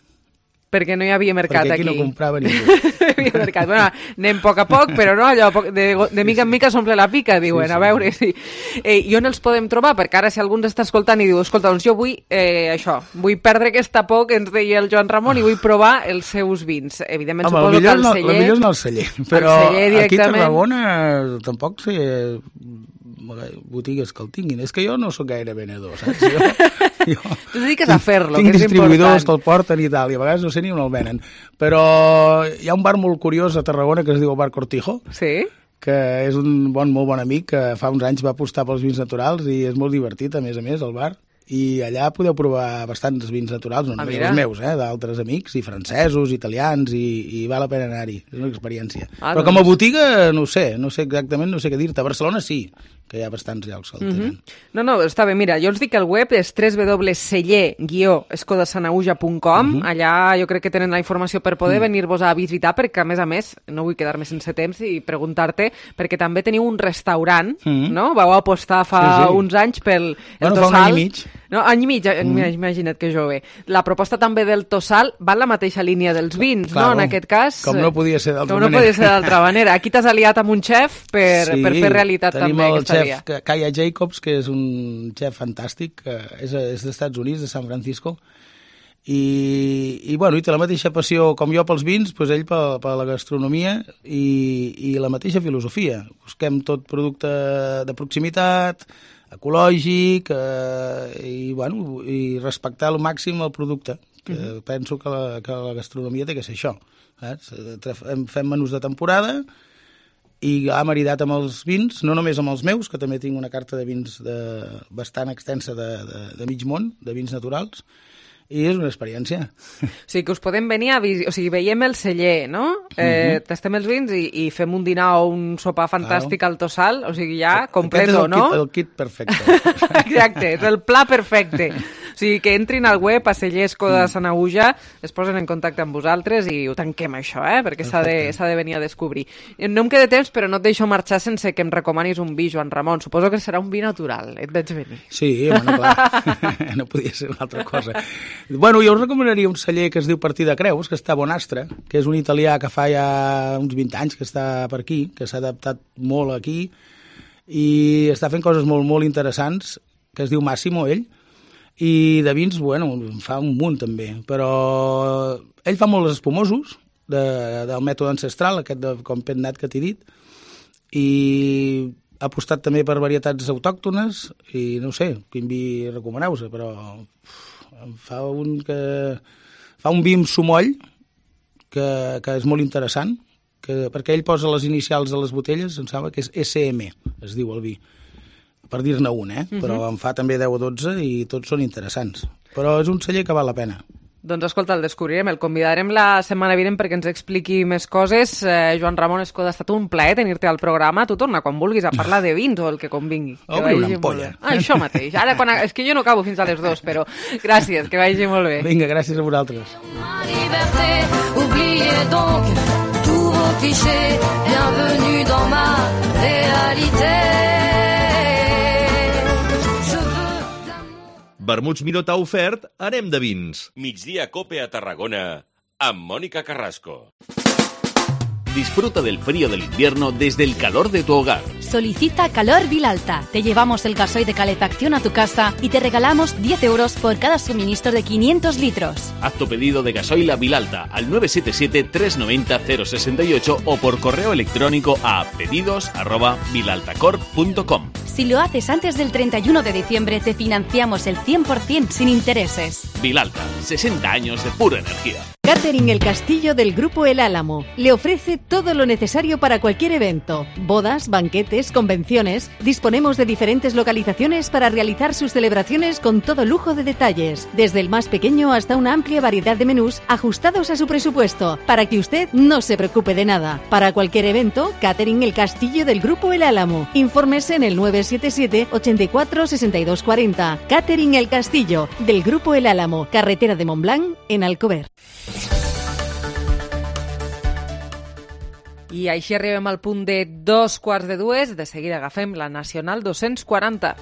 Perquè no hi havia mercat aquí. Perquè aquí no comprava ningú. No hi havia mercat. Bueno, anem a poc, però no, allò de mica en mica s'omple la pica, diuen, a veure si... I on els podem trobar? Perquè ara si algú ens està escoltant i diu, escolta, doncs jo vull vull perdre aquesta por que ens deia el Joan Ramon i vull provar els seus vins. Evidentment, suposo que el celler... El millor és anar al celler, però aquí a Tarragona tampoc sé botigues que el tinguin. És que jo no sóc gaire venedor, saps? Tu et dediques a fer-lo, que és important. Tinc distribuïdors que el porten i tal, i a vegades no sé ni on el venen. Però hi ha un bar molt curiós a Tarragona que es diu el Bar Cortijo, que és un molt bon amic que fa uns anys va apostar pels vins naturals i és molt divertit, a més, el bar. I allà podeu provar bastants vins naturals, no només els meus, d'altres amics, i francesos, italians, i val la pena anar-hi. És una experiència. Però com a botiga, no sé exactament, no sé què dir-te. A Barcelona sí, que hi ha bastants llocs que el tenen. No, està bé. Mira, jo els dic que el web és www.celler-escodasanauja.com. Allà jo crec que tenen la informació per poder venir-vos a visitar, perquè a més, no vull quedar-me sense temps i preguntar-te, perquè també teniu un restaurant, no? Vau apostar fa uns anys pel Tossal. Fa un any i mig. No, any i mig, imagina't que jove. La proposta també del Tossal va en la mateixa línia dels vins, no? En aquest cas... Com no podia ser d'altra manera. Aquí t'has aliat amb un xef per fer realitat també aquesta via. Tenim el xef Kaya Jacobs, que és un xef fantàstic, que és dels Estats Units, de San Francisco, i té la mateixa passió com jo pels vins, doncs ell per la gastronomia i la mateixa filosofia. Busquem tot producte de proximitat, ecològic i respectar al màxim el producte, que penso que la gastronomia té que ser això. Fem menús de temporada i ha maridat amb els vins, no només amb els meus, que també tinc una carta de vins bastant extensa de mig món, de vins naturals, i és una experiència. O sigui, que us podem venir a visitar, o sigui, veiem el celler, no? Tastem els vins i fem un dinar o un sopar fantàstic al Tossal, o sigui, ja completo, no? El kit perfecte. Exacte, és el pla perfecte. O sigui, que entrin al web a Cellesco de Sanaüja, es posen en contacte amb vosaltres i ho tanquem això, perquè s'ha de venir a descobrir. No em queda temps, però no et deixo marxar sense que em recomanis un vi, Joan Ramon. Suposo que serà un vi natural, et veig venir. Sí, bueno, clar, no podia ser una altra cosa. Bueno, jo us recomanaria un celler que es diu Partida Creus, que està a Bonastre, que és un italià que fa ja uns 20 anys que està per aquí, que s'ha adaptat molt aquí i està fent coses molt, molt interessants, que es diu Massimo, ell, i de vins, bueno, fa un munt també, però ell fa molts espumosos del mètode ancestral, aquest de Compet-Nat que t'he dit, i ha apostat també per varietats autòctones i no sé, quin vi recomaneu-se, però fa un vi amb sumoll que és molt interessant, perquè ell posa les inicials de les botelles, em sembla que és SM, es diu el vi, per dir-ne un, però en fa també 10 o 12 i tots són interessants. Però és un celler que val la pena. Doncs escolta, el descobrirem, el convidarem la setmana vinent perquè ens expliqui més coses. Joan Ramon Escoda, ha estat un plaer tenir-te al programa. Tu torna quan vulguis a parlar de vins o el que convingui. Obri una ampolla. Això mateix. Ara, és que jo no acabo fins a les 2, però gràcies, que vagi molt bé. Vinga, gràcies a vosaltres. Oubliez donc tous vos clichés, bienvenue dans ma réalité. Vermuts Miró t'ha ofert Anem de vins. Migdia Cope a Tarragona amb Mónica Carrasco. Disfruta del frío del invierno desde el calor de tu hogar. Solicita Calor Vilalta. Te llevamos el gasoil de calefacción a tu casa y te regalamos 10 euros por cada suministro de 500 litros. Haz tu pedido de gasoil a Vilalta al 977-390-068 o por correo electrónico a pedidos@vilaltacorp.com. Si lo haces antes del 31 de diciembre, te financiamos el 100% sin intereses. Vilalta, 60 años de pura energía. Catering El Castillo del Grupo El Álamo le ofrece todo lo necesario para cualquier evento. Bodas, banquetes, convenciones. Disponemos de diferentes localizaciones para realizar sus celebraciones con todo lujo de detalles. Desde el más pequeño hasta una amplia variedad de menús ajustados a su presupuesto, para que usted no se preocupe de nada. Para cualquier evento, Catering El Castillo del Grupo El Álamo. Infórmese en el 977 84 62 40. Catering El Castillo del Grupo El Álamo, carretera de Montblanc, en Alcover. I així arribem al punt de 2:45. De seguida agafem la Nacional 240.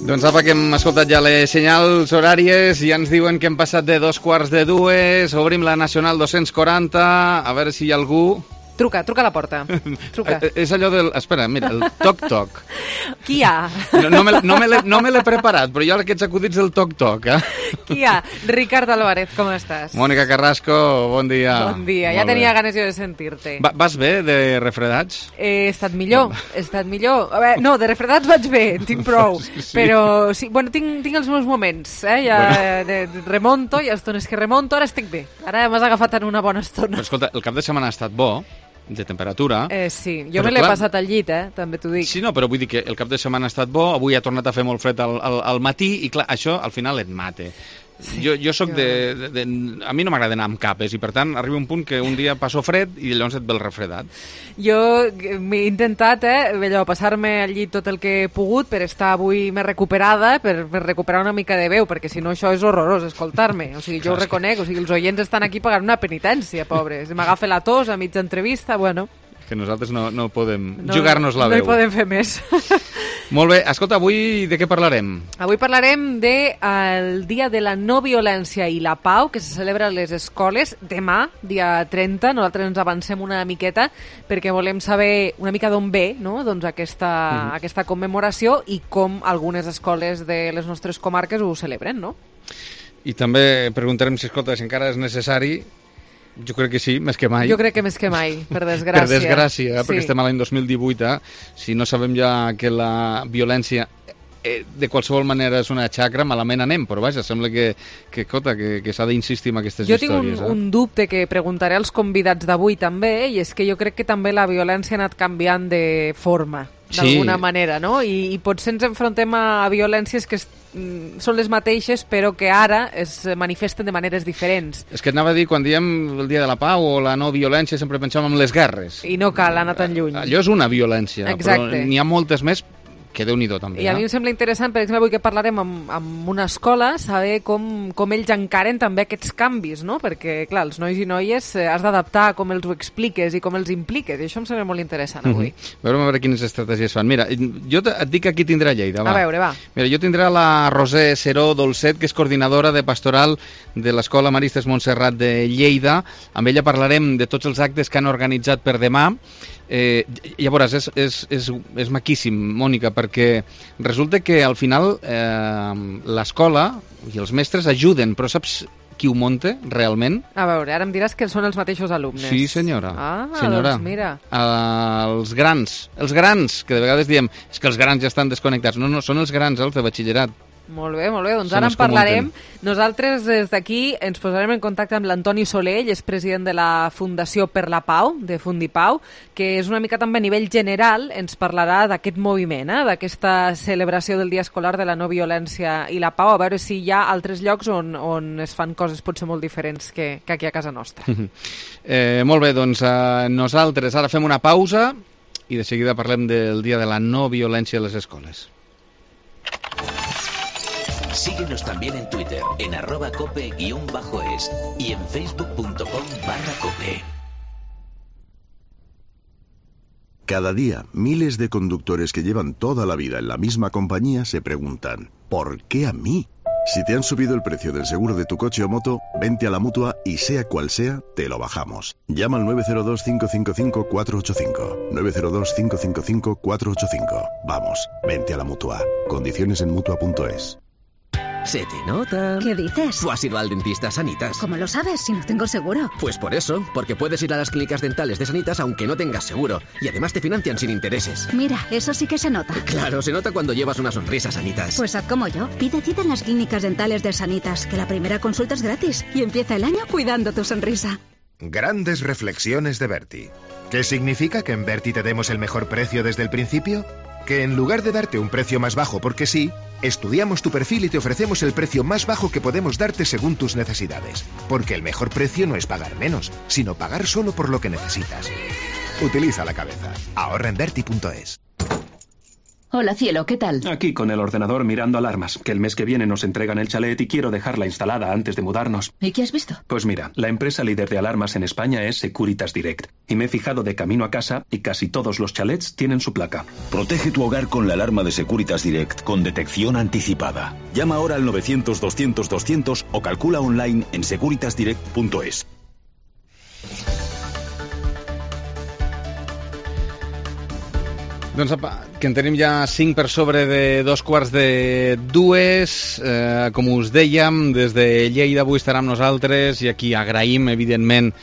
Doncs apa, que hem escoltat ja les senyals horàries i ja ens diuen que hem passat de 2:45, obrim la Nacional 240, a veure si hi ha algú... Truca a la porta. Truca. És allò del... Espera, mira, el toc-toc. Qui hi ha? No me l'he preparat, però jo aquests acudits del toc-toc, Qui hi ha? Ricard Álvarez, com estàs? Mónica Carrasco, bon dia. Bon dia, ja tenia ganes jo de sentir-te. Vas bé de refredats? He estat millor. A veure, no, de refredats vaig bé, en tinc prou. Sí. Però, sí, bueno, tinc els meus moments, ja remonto, hi ha estones que remonto, ara estic bé. Ara m'has agafat en una bona estona. Però escolta, el cap de setmana ha estat bo, de temperatura. Sí, jo me l'he passat al llit, també t'ho dic. Sí, no, però vull dir que el cap de setmana ha estat bo, avui ha tornat a fer molt fred al matí i clar, això al final et mate. Sí, jo soc a mi no m'agrada anar amb capes i per tant arriba un punt que un dia passo fred i llavors et ve el refredat. Jo m'he intentat allò, passar-me al llit tot el que he pogut per estar avui més recuperada, per recuperar una mica de veu, perquè si no això és horrorós escoltar-me, o sigui, jo ho reconec, o sigui, els oients estan aquí pagant una penitència, pobres, m'agafa la tos a mitja entrevista, bueno... Que nosaltres no podem jugar-nos la veu. No hi podem fer més. Molt bé, escolta, avui de què parlarem? Avui parlarem del Dia de la No Violència i la Pau, que se celebra a les escoles demà, dia 30. Nosaltres ens avancem una miqueta perquè volem saber una mica d'on ve, no? Doncs aquesta commemoració i com algunes escoles de les nostres comarques ho celebren, no? I també preguntarem si, escolta, si encara és necessari. Jo crec que sí, més que mai. Jo crec que més que mai, per desgràcia. Per desgràcia, perquè estem a l'any 2018, si no sabem ja que la violència de qualsevol manera és una xacra, malament anem, però vaja, sembla que s'ha d'insistir en aquestes històries. Jo tinc un dubte que preguntaré als convidats d'avui també, i és que jo crec que també la violència ha anat canviant de forma, d'alguna manera, no? I potser ens enfrontem a violències que són les mateixes, però que ara es manifesten de maneres diferents. És que anava a dir, quan diem el Dia de la Pau o la no violència, sempre pensàvem en les guerres. I no cal anar tan lluny. Allò és una violència, exacte. Però n'hi ha moltes més que Déu-n'hi-do també. I a mi em sembla interessant, per exemple, avui que parlarem amb una escola, saber com ells encaren també aquests canvis, no? Perquè, clar, els nois i noies has d'adaptar com els ho expliques i com els impliques, i això em sembla molt interessant avui. A veure quines estratègies fan. Mira, jo et dic qui tindrà a Lleida, va. A veure, va. Mira, jo tindrà la Roser Seró Dolcet, que és coordinadora de pastoral de l'Escola Maristes Montserrat de Lleida. Amb ella parlarem de tots els actes que han organitzat per demà. Ja veuràs, és maquíssim, Mònica, perquè resulta que al final l'escola i els mestres ajuden, però saps qui ho munta realment? A veure, ara em diràs que són els mateixos alumnes. Sí, senyora. Doncs mira. Els grans, que de vegades diem és que els grans ja estan desconnectats. No, són els grans, els de batxillerat. Molt bé, doncs ara en parlarem. Nosaltres des d'aquí ens posarem en contacte amb l'Antoni Soler, ell és president de la Fundació per la Pau, de Fundipau, que és una mica també a nivell general, ens parlarà d'aquest moviment, d'aquesta celebració del Dia Escolar de la No Violència i la Pau, a veure si hi ha altres llocs on es fan coses potser molt diferents que aquí a casa nostra. Molt bé, doncs nosaltres ara fem una pausa i de seguida parlem del Dia de la No Violència a les escoles. Síguenos también en Twitter, en @cope_es y en facebook.com/cope. Cada día, miles de conductores que llevan toda la vida en la misma compañía se preguntan, ¿por qué a mí? Si te han subido el precio del seguro de tu coche o moto, vente a la Mutua y sea cual sea, te lo bajamos. Llama al 902-555-485. 902-555-485. Vamos, vente a la Mutua. Condiciones en Mutua.es. Se te nota. ¿Qué dices? ¿Tú has ido al dentista Sanitas? ¿Cómo lo sabes si no tengo seguro? Pues por eso, porque puedes ir a las clínicas dentales de Sanitas aunque no tengas seguro. Y además te financian sin intereses. Mira, eso sí que se nota. Claro, se nota cuando llevas una sonrisa, Sanitas. Pues haz como yo. Pide cita en las clínicas dentales de Sanitas, que la primera consulta es gratis. Y empieza el año cuidando tu sonrisa. Grandes reflexiones de Berti. ¿Qué significa que en Berti te demos el mejor precio desde el principio? Que en lugar de darte un precio más bajo porque sí, estudiamos tu perfil y te ofrecemos el precio más bajo que podemos darte según tus necesidades. Porque el mejor precio no es pagar menos, sino pagar solo por lo que necesitas. Utiliza la cabeza. Ahorra en Berti.es. Hola, cielo, ¿qué tal? Aquí con el ordenador mirando alarmas, que el mes que viene nos entregan el chalet y quiero dejarla instalada antes de mudarnos. ¿Y qué has visto? Pues mira, la empresa líder de alarmas en España es Securitas Direct. Y me he fijado de camino a casa y casi todos los chalets tienen su placa. Protege tu hogar con la alarma de Securitas Direct con detección anticipada. Llama ahora al 900-200-200 o calcula online en securitasdirect.es. Doncs apa, que en tenim ja 5 per sobre de 2:45. Com us dèiem, des de Lleida avui estarà amb nosaltres i aquí agraïm, evidentment,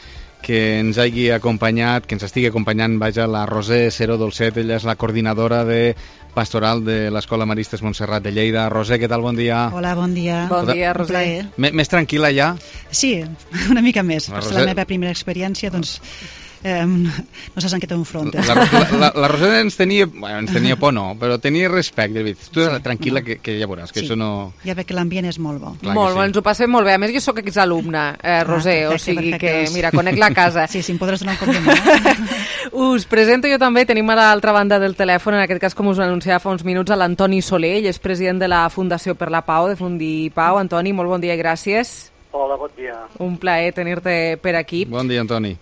que ens hagi acompanyat, que ens estigui acompanyant, vaja, la Roser Seró Dolcet. Ella és la coordinadora de pastoral de l'Escola Maristes Montserrat de Lleida. Roser, què tal? Bon dia. Hola, bon dia. Bon dia, Roser. Més tranquil·la ja? Sí, una mica més. Per ser la meva primera experiència, doncs no saps en què t'enfrontes. La Roser ens tenia por, no, però tenia respecte. Tu tranquil·la, que ja veuràs, que això no... Ja veig que l'ambient és molt bo. Molt bo, ens ho passem molt bé. A més, jo sóc exalumna, Roser, o sigui que, mira, conec la casa. Sí, em podràs donar un compliment. Us presento jo també, tenim a l'altra banda del telèfon, en aquest cas, com us anunciava fa uns minuts, a l'Antoni Soler, ell és president de la Fundació per la Pau, de Fundipau. Antoni, molt bon dia i gràcies. Hola, bon dia. Un plaer tenir-te per aquí. Bon dia, Antoni.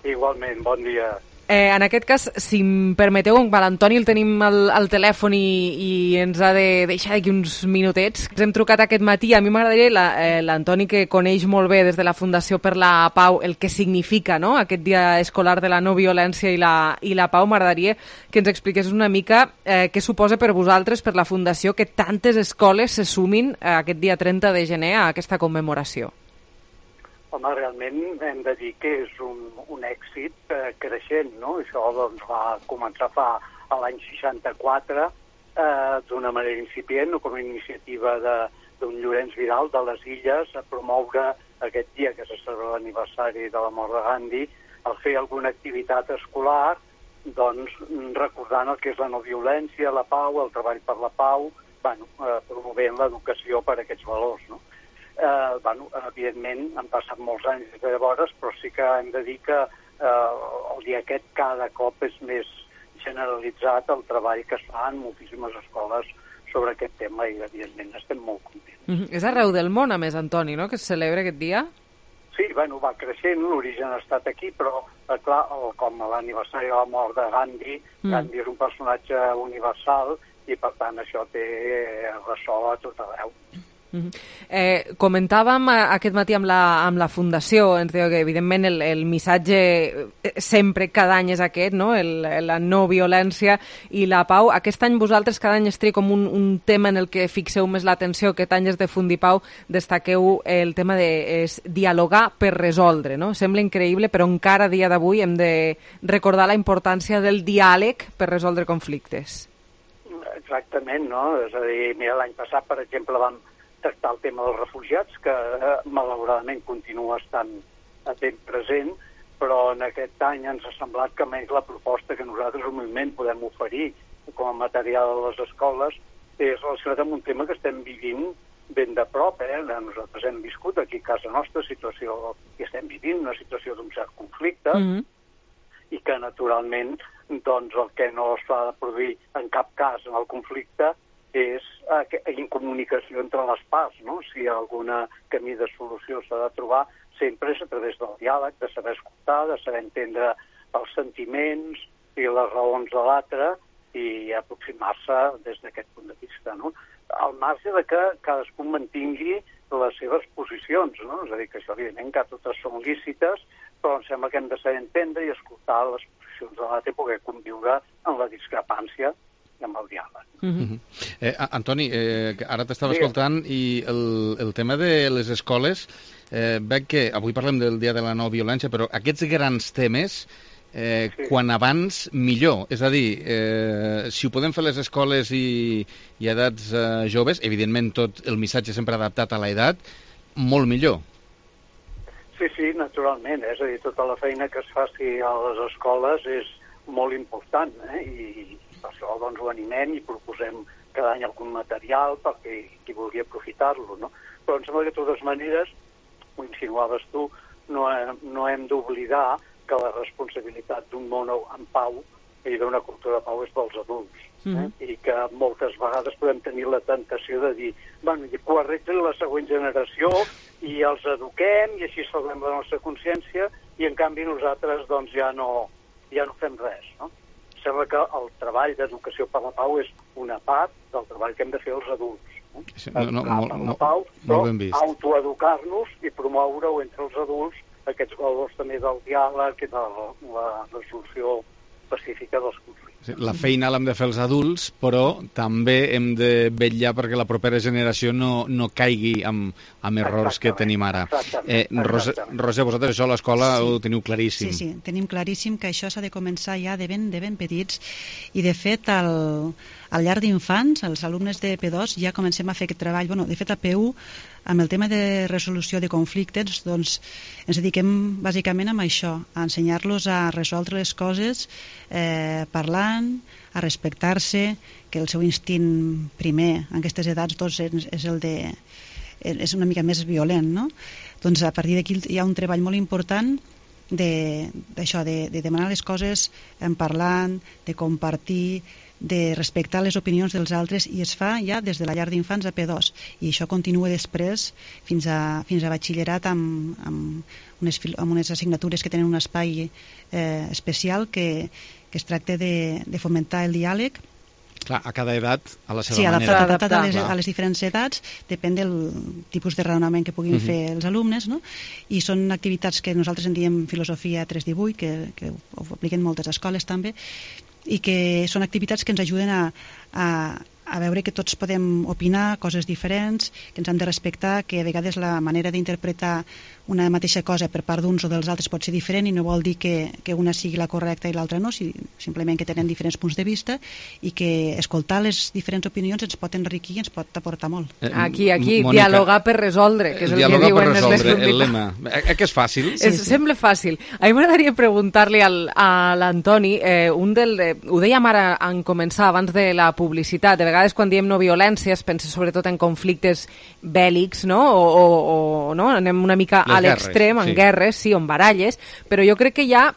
Igualment, bon dia. En aquest cas, si em permeteu, l'Antoni el tenim al telèfon i ens ha de deixar d'aquí uns minutets. Ens hem trucat aquest matí. A mi m'agradaria, l'Antoni, que coneix molt bé des de la Fundació per la Pau el que significa, no?, aquest dia escolar de la no violència i la pau, m'agradaria que ens expliqués una mica què suposa per vosaltres, per la Fundació, que tantes escoles se sumin aquest dia 30 de gener a aquesta commemoració. Home, realment hem de dir que és un èxit creixent, no? Això doncs, va començar a l'any 64 d'una manera incipient, com a iniciativa d'un Llorenç Vidal de les Illes, a promoure aquest dia que se celebra l'aniversari de la mort de Gandhi, al fer alguna activitat escolar, doncs recordant el que és la no violència, la pau, el treball per la pau, promovent l'educació per aquests valors, no? Evidentment han passat molts anys des de llavors, però sí que hem de dir que el dia aquest cada cop és més generalitzat el treball que es fa en moltíssimes escoles sobre aquest tema i evidentment estem molt contents. És arreu del món, a més, Antoni, no?, que es celebra aquest dia? Sí, va creixent, l'origen ha estat aquí, però clar, com a l'aniversari de la mort de Gandhi, Gandhi és un personatge universal i per tant això té ressò a tot arreu. Comentàvem aquest matí amb la Fundació, ens deia que evidentment el missatge sempre cada any és aquest, no?, la no violència i la pau. Aquest any vosaltres cada any esteu com un tema en el que fixeu més l'atenció. Aquest any és de Fundipau, destaqueu el tema de dialogar per resoldre, no? Sembla increïble, però encara a dia d'avui hem de recordar la importància del diàleg per resoldre conflictes. Exactament, no? És a dir, mira, l'any passat, per exemple, vam tractar el tema dels refugiats, que malauradament continua estant ben present, però en aquest any ens ha semblat que més la proposta que nosaltres al moviment podem oferir com a material a les escoles és relacionat amb un tema que estem vivint ben de prop. Nosaltres hem viscut aquí a casa nostra i estem vivint una situació d'un cert conflicte i que naturalment doncs, el que no s'ha de produir en cap cas en el conflicte és incomunicació entre les parts, no? Si algun camí de solució s'ha de trobar, sempre és a través del diàleg, de saber escoltar, de saber entendre els sentiments i les raons de l'altre i aproximar-se des d'aquest punt de vista, no? Al marge de que cadascú mantingui les seves posicions, no? És a dir, que això evidentment que totes són lícites, però em sembla que hem de saber entendre i escoltar les posicions de l'altre i poder conviure en la discrepància i amb el diàleg. Antoni, ara t'estava escoltant i el tema de les escoles, veig que avui parlem del dia de la no violència, però aquests grans temes, quan abans millor, és a dir, si ho podem fer les escoles i edats joves, evidentment tot el missatge sempre adaptat a l'edat, molt millor. Sí, naturalment, és a dir, tota la feina que es faci a les escoles és molt important, i per això doncs, ho animem i proposem cada any algun material perquè qui vulgui aprofitar-lo, no? Però em sembla que de totes maneres, ho insinuaves tu, no hem d'oblidar que la responsabilitat d'un món en pau i d'una cultura de pau és dels adults, i que moltes vegades podem tenir la tentació de dir que ho arregli la següent generació i els eduquem i així salvem la nostra consciència i en canvi nosaltres doncs ja no fem res, no? Sembla que el treball d'educació per la pau és una part del treball que hem de fer els adults. Educar per la pau, però autoeducar-nos i promoure-ho entre els adults aquests valors també del diàleg i de la resolució pacífica dels conflictes. La feina l'hem de fer els adults, però també hem de vetllar perquè la propera generació no caigui amb errors que tenim ara. Roser, vosaltres això a l'escola ho teniu claríssim. Sí, tenim claríssim que això s'ha de començar ja de ben petits i de fet al llarg d'infants, els alumnes de P2 ja comencem a fer aquest treball. De fet a P1 amb el tema de resolució de conflictes doncs ens dediquem bàsicament a això, a ensenyar-los a resoldre les coses parlant, a respectar-se, que el seu instint primer en aquestes edats doncs, és una mica més violent, no? Doncs a partir d'aquí hi ha un treball molt important d'això, de demanar les coses en parlant, de compartir, de respectar les opinions dels altres, i es fa ja des de la llar d'infants a P2, i això continua després fins a batxillerat amb unes assignatures que tenen un espai especial que es tracta de fomentar el diàleg. Clar, a cada edat, a la seva manera. Sí, adaptat a les diferents edats, depèn del tipus de raonament que puguin fer els alumnes, no? I són activitats que nosaltres en diem filosofia 318, que ho apliquen moltes escoles també, i que són activitats que ens ajuden a veure que tots podem opinar coses diferents, que ens han de respectar, que a vegades la manera d'interpretar una mateixa cosa per part d'uns o dels altres pot ser diferent, i no vol dir que una sigui la correcta i l'altra no, simplement que tenen diferents punts de vista, i que escoltar les diferents opinions ens pot enriquir i ens pot aportar molt. Aquí, Mònica, dialogar per resoldre, que és el que diuen el lema. Que és fàcil? Sembla fàcil. A mi m'agradaria preguntar-li a l'Antoni, ho dèiem ara en començar, abans de la publicitat, de vegades quan diem no violència es pensa sobretot en conflictes bèl·lics, no? O no? Anem una mica a l'extrem, en guerres, sí, o en baralles, però jo crec que hi ha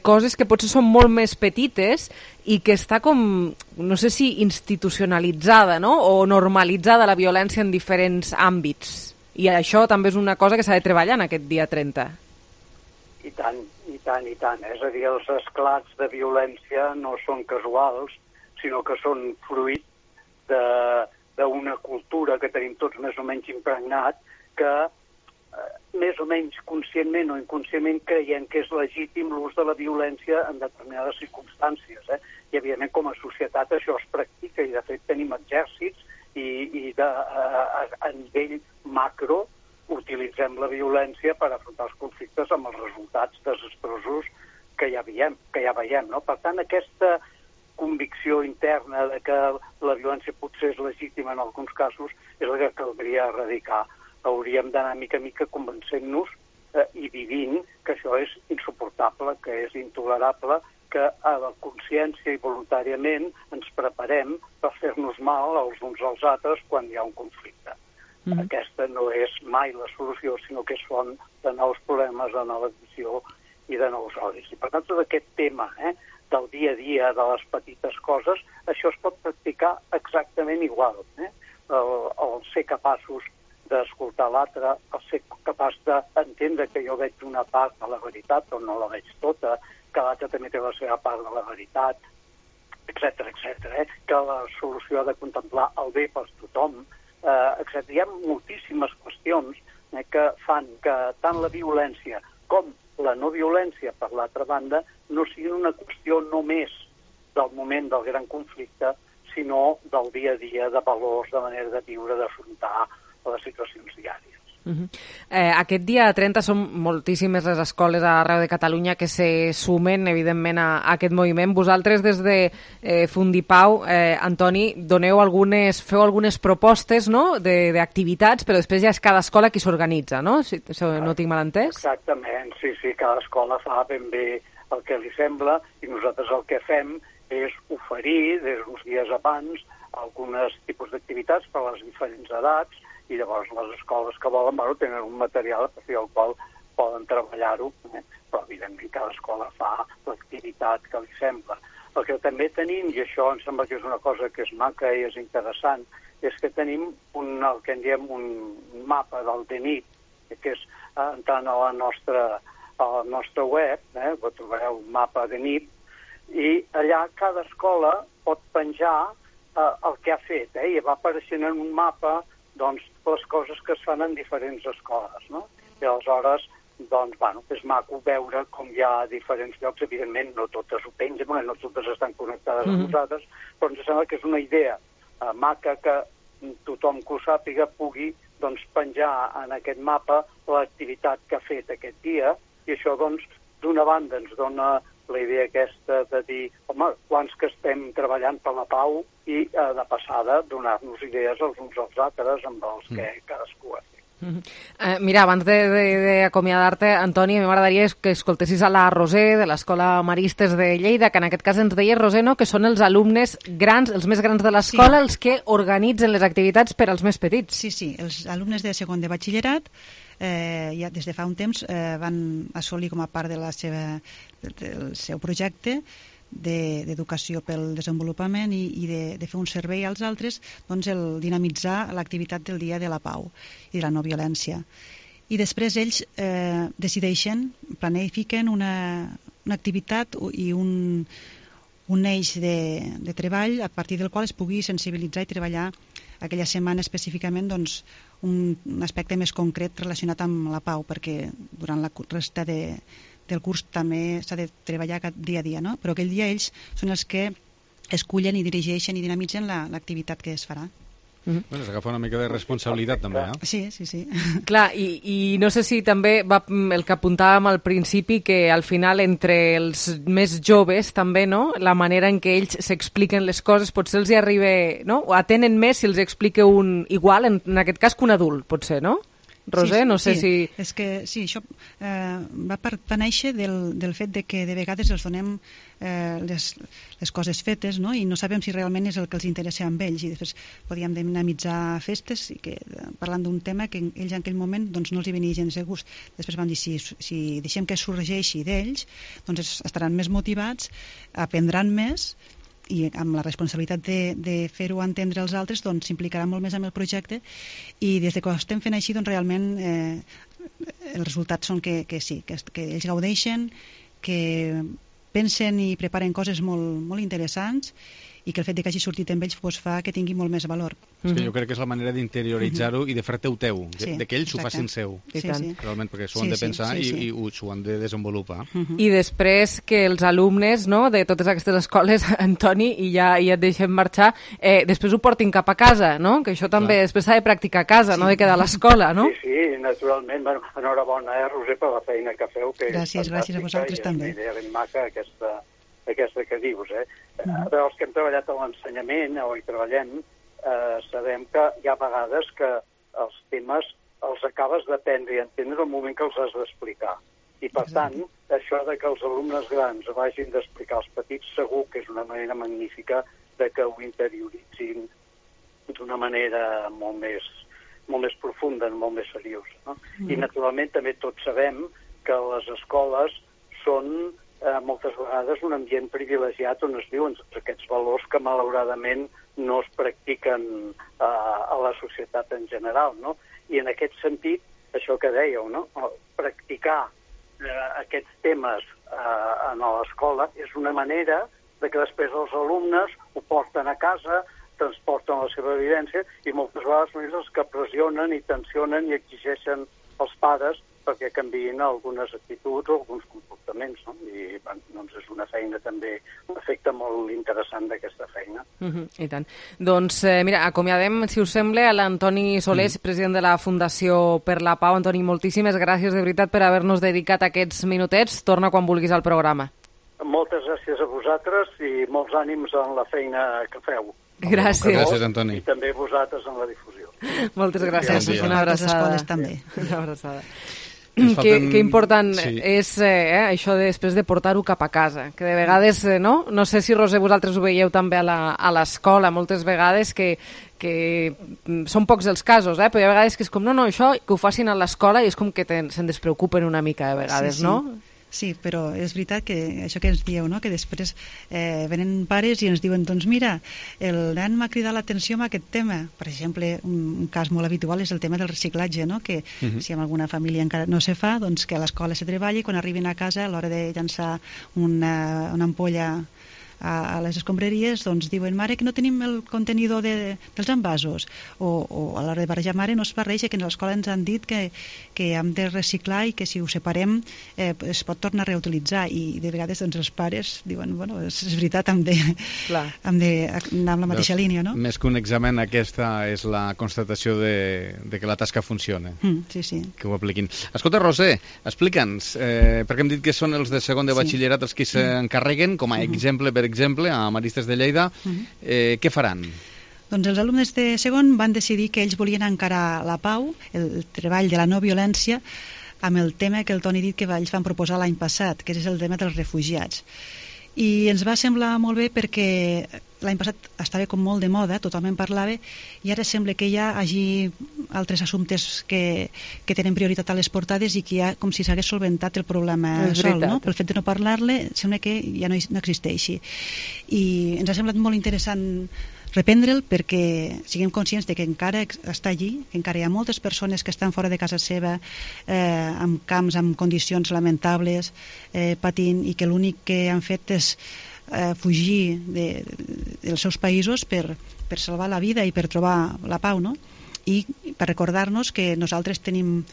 coses que potser són molt més petites i que està com, no sé si institucionalitzada, no? O normalitzada la violència en diferents àmbits. I això també és una cosa que s'ha de treballar en aquest dia 30. I tant. És a dir, els esclats de violència no són casuals, sinó que són fruit d'una cultura que tenim tots més o menys impregnat, que més o menys conscientment o inconscientment creiem que és legítim l'ús de la violència en determinades circumstàncies. I, evidentment, com a societat això es practica, i de fet tenim exèrcits i a nivell macro utilitzem la violència per afrontar els conflictes amb els resultats desastrosos que ja veiem, no? Per tant, aquesta convicció interna de que la violència potser és legítima en alguns casos és la que caldria erradicar. Hauríem d'anar mica a mica convencent-nos i vivint que això és insuportable, que és intolerable, que a la consciència i voluntàriament ens preparem per fer-nos mal els uns als altres quan hi ha un conflicte. Aquesta no és mai la solució, sinó que és font de nous problemes, de nova visió i de nous odis. I per tant, tot aquest tema del dia a dia, de les petites coses, això es pot practicar exactament igual. El ser capaços d'escoltar l'altre, el ser capaç d'entendre que jo veig una part de la veritat o no la veig tota, que l'altre també té la seva part de la veritat, etc. Que la solució ha de contemplar el bé per tothom, etc. Hi ha moltíssimes qüestions que fan que tant la violència com la no violència, per l'altra banda, no siguin una qüestió només del moment del gran conflicte, sinó del dia a dia, de valors, de manera de viure, d'afrontar les situacions diàries. Aquest dia 30 són moltíssimes les escoles arreu de Catalunya que se sumen, evidentment, a aquest moviment. Vosaltres, des de Fundipau, Antoni, feu algunes propostes, no?, d'activitats, però després ja és cada escola qui s'organitza, no? Si no tinc mal entès? Exactament, sí, cada escola fa ben bé el que li sembla, i nosaltres el que fem és oferir, des d'uns dies abans, alguns tipus d'activitats per a les diferents edats, i llavors les escoles que volen tenen un material a partir del qual poden treballar-ho, però evidentment cada escola fa l'activitat que li sembla. El que també tenim, i això em sembla que és una cosa que és maca i és interessant, és que tenim el que en diem un mapa del DNIT, que és entrant a la nostra web, ho trobareu un mapa DNIT, i allà cada escola pot penjar el que ha fet, i va apareixent en un mapa les coses que es fan en diferents escoles, no? I aleshores, és maco veure com hi ha diferents llocs. Evidentment, no totes ho pengen, no totes estan connectades amb nosaltres, però ens sembla que és una idea maca que tothom que ho sàpiga pugui penjar en aquest mapa l'activitat que ha fet aquest dia, i això, d'una banda, ens dona la idea aquesta de dir, home, quants que estem treballant per la pau, i de passada donar-nos idees els uns als altres amb els que cadascú ha fet. Mira, abans d'acomiadar-te, Antoni, a mi m'agradaria que escoltessis a la Roser de l'Escola Maristes de Lleida, que en aquest cas ens deia, Roser, no?, que són els alumnes grans, els més grans de l'escola, els que organitzen les activitats per als més petits. Sí, els alumnes de segon de batxillerat ja des de fa un temps van assolir com a part del seu projecte d'educació pel desenvolupament i de fer un servei als altres, doncs el dinamitzar l'activitat del Dia de la Pau i de la no violència. I després ells decideixen, planifiquen una activitat i un eix de treball a partir del qual es pugui sensibilitzar i treballar aquella setmana específicament doncs, un aspecte més concret relacionat amb la pau, perquè durant la resta del curs també s'ha de treballar dia a dia, no? Però aquell dia ells són els que escullen i dirigeixen i dinamitzen l'activitat que es farà. Bueno, s'agafa una mica de responsabilitat també, eh? Sí. Clar, i no sé si també va el que apuntàvem al principi, que al final entre els més joves també, no?, la manera en què ells s'expliquen les coses potser els hi arriba, no?, o atenen més si els explica un igual, en aquest cas, que un adult, potser, no? Roser, no sé si... És que sí, això va néixer del fet de que de vegades els donem les coses fetes, no?, i no sabem si realment és el que els interessa amb ells, i després podíem dinamitzar festes i que, parlant d'un tema que ells en aquell moment doncs, no els hi venia gens de gust. Després vam dir, si deixem que sorgeixi d'ells, doncs estaran més motivats, aprendran més, i amb la responsabilitat de fer-ho entendre als altres, doncs s'implicarà molt més amb el projecte, i des que ho estem fent així, doncs realment els resultats són que sí, que ells gaudeixen, que pensen i preparen coses molt interessants, i que el fet de que hagi sortit amb ells doncs, fa que tingui molt més valor. És que jo crec que és la manera d'interioritzar-ho i de fer-te teu, de que ells ho facin seu. Realment, perquè s'ho han de pensar i s'ho han de desenvolupar. I després que els alumnes, no, de totes aquestes escoles, Antoni, i ja et deixem marxar, després ho portin cap a casa, no? Que això també després s'ha de practicar a casa, no de quedar a l'escola, no? Sí, naturalment. Bueno, enhorabona, Roser, per la feina que feu. Gràcies a vosaltres també. És una idea ben maca aquesta que dius, Però els que hem treballat a l'ensenyament o hi treballem sabem que hi ha vegades que els temes els acabes d'aprendre i entendre el moment que els has d'explicar. I per tant, això de que els alumnes grans vagin d'explicar als petits segur que és una manera magnífica de que ho interioritzin d'una manera molt més profunda, molt més seriosa. No? I naturalment també tots sabem que les escoles són moltes vegades un ambient privilegiat on es viuen tots aquests valors que malauradament no es practiquen a la societat en general, no? I en aquest sentit, això que dèieu, no? Practicar aquests temes a l'escola és una manera de que després els alumnes ho porten a casa, transporten la seva vivència i moltes vegades són ells els que pressionen i tensionen i exigeixen als pares perquè canviïn algunes actituds o alguns comportaments, no? I doncs és una feina també, un efecte molt interessant d'aquesta feina. I tant. Doncs mira, acomiadem, si us sembla, a l'Antoni Solés, president de la Fundació per la Pau. Antoni, moltíssimes gràcies de veritat per haver-nos dedicat aquests minutets. Torna quan vulguis al programa. Moltes gràcies a vosaltres i molts ànims en la feina que feu. Gràcies. Gràcies, Antoni. I també vosaltres en la difusió. Moltes gràcies. Una abraçada. Les escoles també. Una abraçada. Que important és això després de portar-ho cap a casa, que de vegades, no sé si, Roser, vosaltres ho veieu també a l'escola, moltes vegades que són pocs els casos, però hi ha vegades que és com, no, això que ho facin a l'escola i és com que se'n despreocupen una mica de vegades, no? Sí, però és veritat que això que ens dieu, no? Que després venen pares i ens diuen, doncs mira, el nen m'ha cridat l'atenció amb aquest tema. Per exemple, un cas molt habitual és el tema del reciclatge, no? Que si en alguna família encara no se fa, doncs que a l'escola se treballi i quan arribin a casa a l'hora de llançar una ampolla a les escombraries, doncs diuen, mare, que no tenim el contenidor dels envasos, o a l'hora de barrejar, mare, no es barreja, que a l'escola ens han dit que hem de reciclar i que si ho separem es pot tornar a reutilitzar, i de vegades doncs, els pares diuen, bueno, és veritat, hem d'anar amb la mateixa línia, no? Més que un examen, aquesta és la constatació de que la tasca funciona. Sí. Que ho apliquin. Escolta, Roser, explica'ns, perquè hem dit que són els de segon de batxillerat els que s'encarreguen, com a exemple, per exemple, a Maristes de Lleida, què faran? Doncs els alumnes de segon van decidir que ells volien encarar la pau, el treball de la no violència, amb el tema que el Toni ha dit que ells van proposar l'any passat, que és el tema dels refugiats. I ens va semblar molt bé perquè l'any passat estava com molt de moda, tothom en parlava, i ara sembla que ja hagi altres assumptes que tenen prioritat a les portades i que ja com si s'hagués solventat el problema sol, no? Pel fet de no parlar-le sembla que ja no existeixi. I ens ha semblat molt interessant reprendre'l perquè siguem conscients de que encara està allí, que encara hi ha moltes persones que estan fora de casa seva, amb camps, amb condicions lamentables, patint, i que l'únic que han fet és fugir dels seus països per salvar la vida i per trobar la pau, no? I per recordar-nos que nosaltres tenim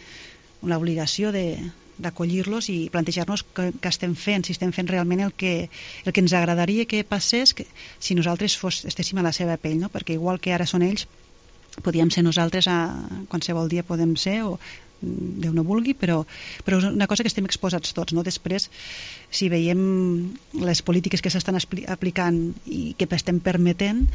l'obligació d'acollir-los i plantejar-nos què estem fent, si estem fent realment el que ens agradaria que passés si nosaltres estéssim a la seva pell, no? Perquè igual que ara són ells, podíem ser nosaltres qualsevol dia podem ser, o Déu no vulgui, però és una cosa que estem exposats tots, no? Després, si veiem les polítiques que s'estan aplicant i que estem permetent,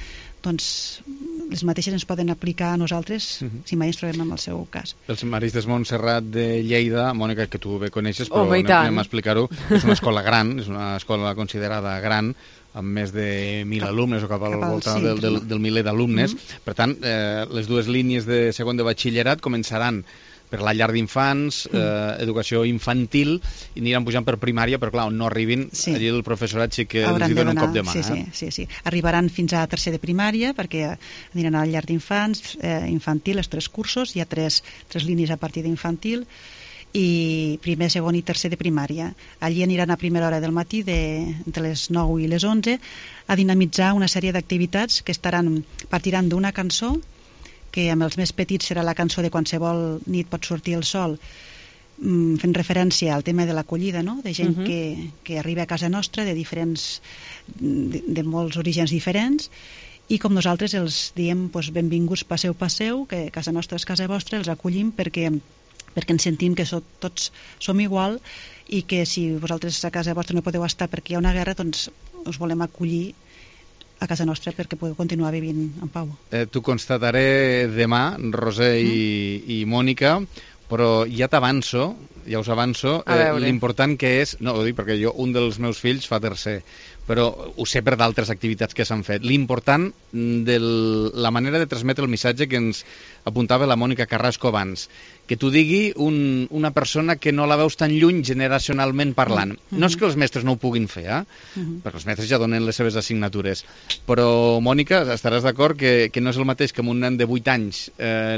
doncs les mateixes ens poden aplicar a nosaltres si mai ens trobem en el seu cas. Els Maristes Montserrat de Lleida, Mònica, que tu bé coneixes, però anem a explicar-ho, és una escola gran, és una escola considerada gran, amb més de 1.000 alumnes o cap al voltant del miler d'alumnes. Per tant, les dues línies de segon de batxillerat començaran per la llar d'infants, educació infantil, i aniran pujant per primària, però clar, on no arribin, allí el professorat sí que els hi dona un cop de mà. Sí. Arribaran fins a tercer de primària, perquè aniran a la llar d'infants, infantil, els 3 cursos, hi ha 3 línies a partir d'infantil, i primer, segon i tercer de primària. Allí aniran a primera hora del matí, entre les 9 i les 11, a dinamitzar una sèrie d'activitats que partiran d'una cançó, que amb els més petits serà la cançó de Qualsevol nit pot sortir el sol, fent referència al tema de l'acollida, no? De gent que arriba a casa nostra de molts orígens diferents, i com nosaltres els diem benvinguts, passeu, que casa nostra és casa vostra, els acollim perquè ens sentim que tots som igual, i que si vosaltres a casa vostra no podeu estar perquè hi ha una guerra, doncs us volem acollir a casa nostra perquè podeu continuar vivint en pau. T'ho constataré demà, Roser i Mònica, però ja t'avanço, ja us avanço, l'important que és, no ho dic perquè un dels meus fills fa tercer, però ho sé per d'altres activitats que s'han fet, l'important de la manera de transmetre el missatge que ens apuntava la Mònica Carrasco abans, que t'ho digui una persona que no la veus tan lluny generacionalment parlant. No és que els mestres no ho puguin fer, perquè els mestres ja donen les seves assignatures, però, Mònica, estaràs d'acord que no és el mateix que amb un nen de 8 anys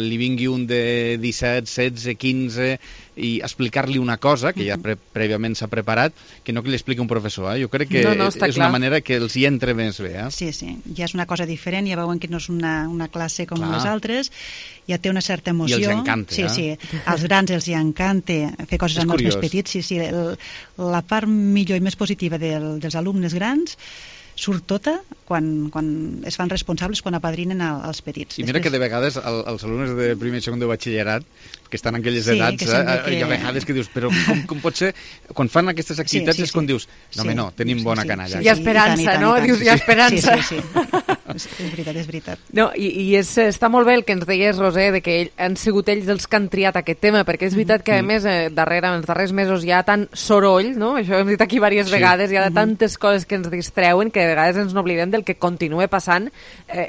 li vingui un de 17, 16, 15 i explicar-li una cosa que ja prèviament s'ha preparat, que no que li expliqui un professor. Jo crec que és una manera que els hi entre més bé. Sí, ja és una cosa diferent, ja veuen que no és una classe com les altres, ja té una certa emoció. I els encanta. Sí, als grans els hi encanta fer coses amb els més petits. Sí, la part millor i més positiva dels alumnes grans surt tota quan es fan responsables, quan apadrinen els petits. I mira que de vegades els alumnes de primer i segon de batxillerat, que estan en aquelles edats, hi ha vegades que dius, però com pot ser? Quan fan aquestes activitats és quan dius, no, tenim bona canalla. Hi ha esperança, no? Dius, hi ha esperança. Sí. És veritat. No, i està molt bé el que ens deies, Roser, de que han sigut ells els que han triat aquest tema, perquè és veritat que, a més, en els darrers mesos hi ha tant soroll, no? Això ho hem dit aquí diverses vegades, hi ha tantes coses que ens distreuen que de vegades ens n'oblidem del que continua passant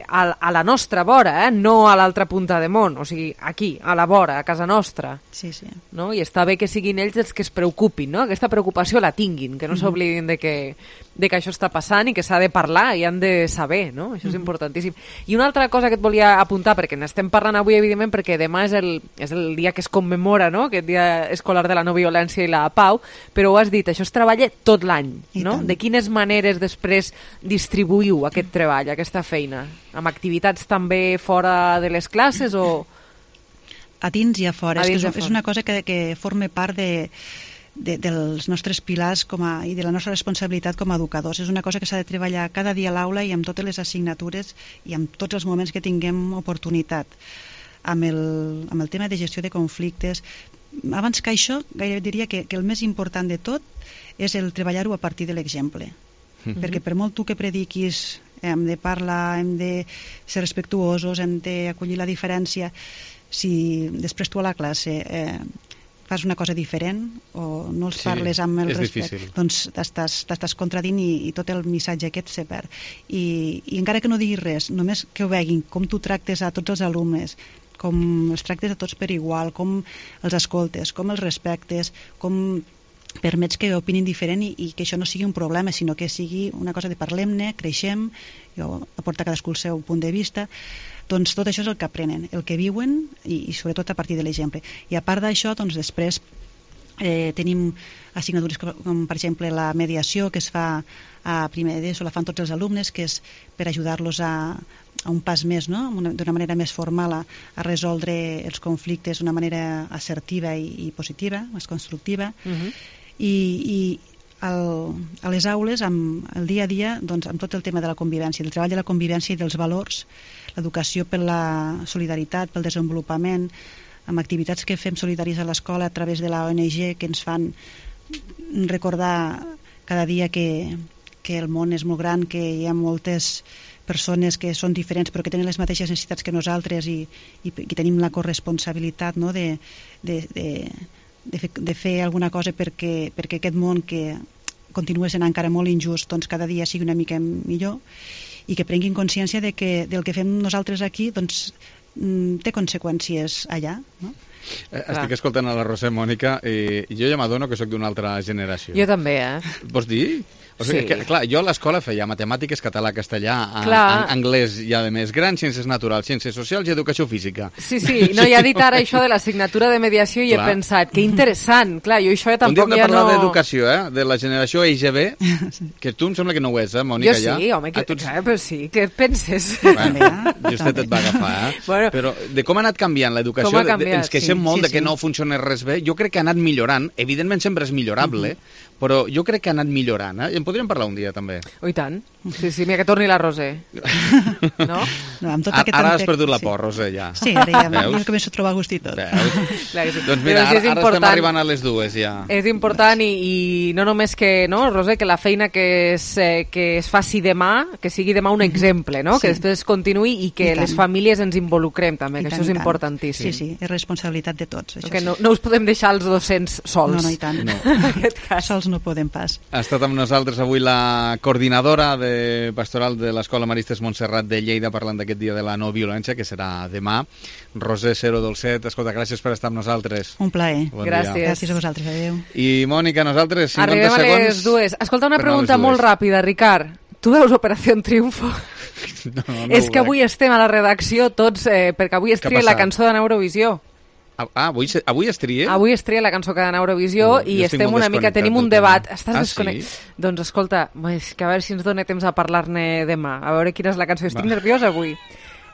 a la nostra vora, no a l'altra punta de món, o sigui, aquí, a la vora, a casa nostra. Sí. No? I està bé que siguin ells els que es preocupin, no? Aquesta preocupació la tinguin, que no s'oblidin de que això està passant i que s'ha de parlar i han de saber, no? Això és importantíssim. I una altra cosa que et volia apuntar, perquè n'estem parlant avui, evidentment, perquè demà és el dia que es commemora, no? Aquest dia escolar de la no violència i la pau, però ho has dit, això es treballa tot l'any, no? De quines maneres després distribuïu aquest treball, aquesta feina? Amb activitats també fora de les classes o...? A dins i a fora. És una cosa que forma part dels nostres pilars i de la nostra responsabilitat com a educadors. És una cosa que s'ha de treballar cada dia a l'aula i amb totes les assignatures i amb tots els moments que tinguem oportunitat. Amb el tema de gestió de conflictes. Abans que això, gairebé diria que el més important de tot és el treballar-ho a partir de l'exemple. Perquè per molt tu que prediquis hem de parlar, hem de ser respectuosos, hem d'acollir la diferència, si després tu a la classe fas una cosa diferent o no els parles amb el respecte, doncs t'estàs contradint i tot el missatge aquest se perd. I encara que no diguis res, només que ho veguin, com tu tractes a tots els alumnes, com els tractes a tots per igual, com els escoltes, com els respectes, com permets que opinin diferent i que això no sigui un problema, sinó que sigui una cosa de parlem-ne, creixem, aporta cadascú el seu punt de vista, doncs tot això és el que aprenen, el que viuen i sobretot a partir de l'exemple. I a part d'això, doncs després tenim assignatures com per exemple la mediació que es fa a primer d'ESO, la fan tots els alumnes, que és per ajudar-los a un pas més, no? D'una manera més formal a resoldre els conflictes d'una manera assertiva i positiva, més constructiva. I a les aules, el dia a dia, doncs, amb tot el tema de la convivència, del treball de la convivència i dels valors, l'educació per la solidaritat, pel desenvolupament, amb activitats que fem solidaris a l'escola a través de la ONG que ens fan recordar cada dia que el món és molt gran, que hi ha moltes persones que són diferents però que tenen les mateixes necessitats que nosaltres i tenim la corresponsabilitat, no, de fer alguna cosa perquè aquest món que continua sent encara molt injust, doncs cada dia sigui una mica millor i que prenguin consciència de que del que fem nosaltres aquí doncs té conseqüències allà, no? Estic escoltant a la Roser, Mònica, i jo ja m'adono que sóc d'una altra generació. Jo també, Vols dir? O sigui, Sí. clar, jo a l'escola feia matemàtiques, català, castellà, anglès i a més gran, ciències naturals, ciències socials i educació física. Sí, no, ja he dit ara això de l'assignatura de mediació i he pensat, que interessant, clar, jo això tampoc ja no... Un dia hem de parlar d'educació, de la generació EGB, que tu em sembla que no ho és, Mònica, ja? Jo sí, home, però sí, què et penses? Bueno, justet et va agafar, Bueno, però de com ha anat canviant l'educació, com ha canviat, ens queixem molt de que no funciona res bé, jo crec que ha anat millorant, evidentment sempre és millorable, però jo crec que ha anat millorant, i en podríem parlar un dia també. Oh, i tant. Sí, mira, que torni la Roser. No? Amb tot aquest Ara has perdut la por, Roser, ja. Sí, ara ja jo començo a trobar gust i tot. Doncs mira, ara estem arribant a les dues, ja. És important i no només que, no, Roser, que la feina que es faci demà, que sigui demà un exemple, no? Que després continuï i que les famílies ens involucrem també, que això és importantíssim. Sí, és responsabilitat de tots. Que no us podem deixar els docents sols. No, i tant. En aquest cas. Sols no podem pas. Ha estat amb nosaltres avui la coordinadora de pastoral de l'Escola Maristes Montserrat de Lleida parlant d'aquest dia de la no violència, que serà demà. Roser Cero Dolcet, escolta, gràcies per estar amb nosaltres. Un plaer. Bon Gràcies. dia. Gràcies a vosaltres, adéu. I Mònica, nosaltres, 50 Arribem segons... a les dues. Escolta, una per pregunta molt ràpida, Ricard. Tu veus Operació Triunfo? No, És que avui estem a la redacció tots, perquè avui es tria la cançó de Eurovisió. Avui es tria? Avui es tria la cançó que ha d'Eurovisió i estem una mica, tenim un debat. Estàs desconnectat? Sí? Doncs escolta, és que a veure si ens dona temps a parlar-ne demà, a veure quina és la cançó. Estic nerviosa avui.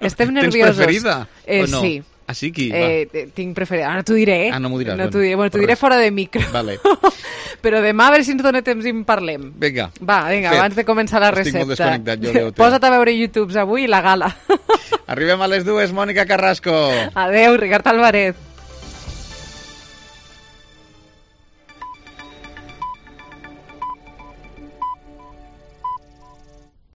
Estem nerviosos. Tens preferida? O no? Sí. Ah, sí, qui? Tinc preferida. Ara t'ho diré. Ah, no m'ho diràs. No t'ho diré. Bueno, t'ho diré fora de micro. Vale. Però demà a veure si ens dona temps i en parlem. Vinga. Va, abans de començar la recepta. Estic molt desconnectat, jo veu. Posa't a veure YouTube avui i la gala. Arribem a les dues, Mònica Carrasco. Adeu, Ricard Alvarez.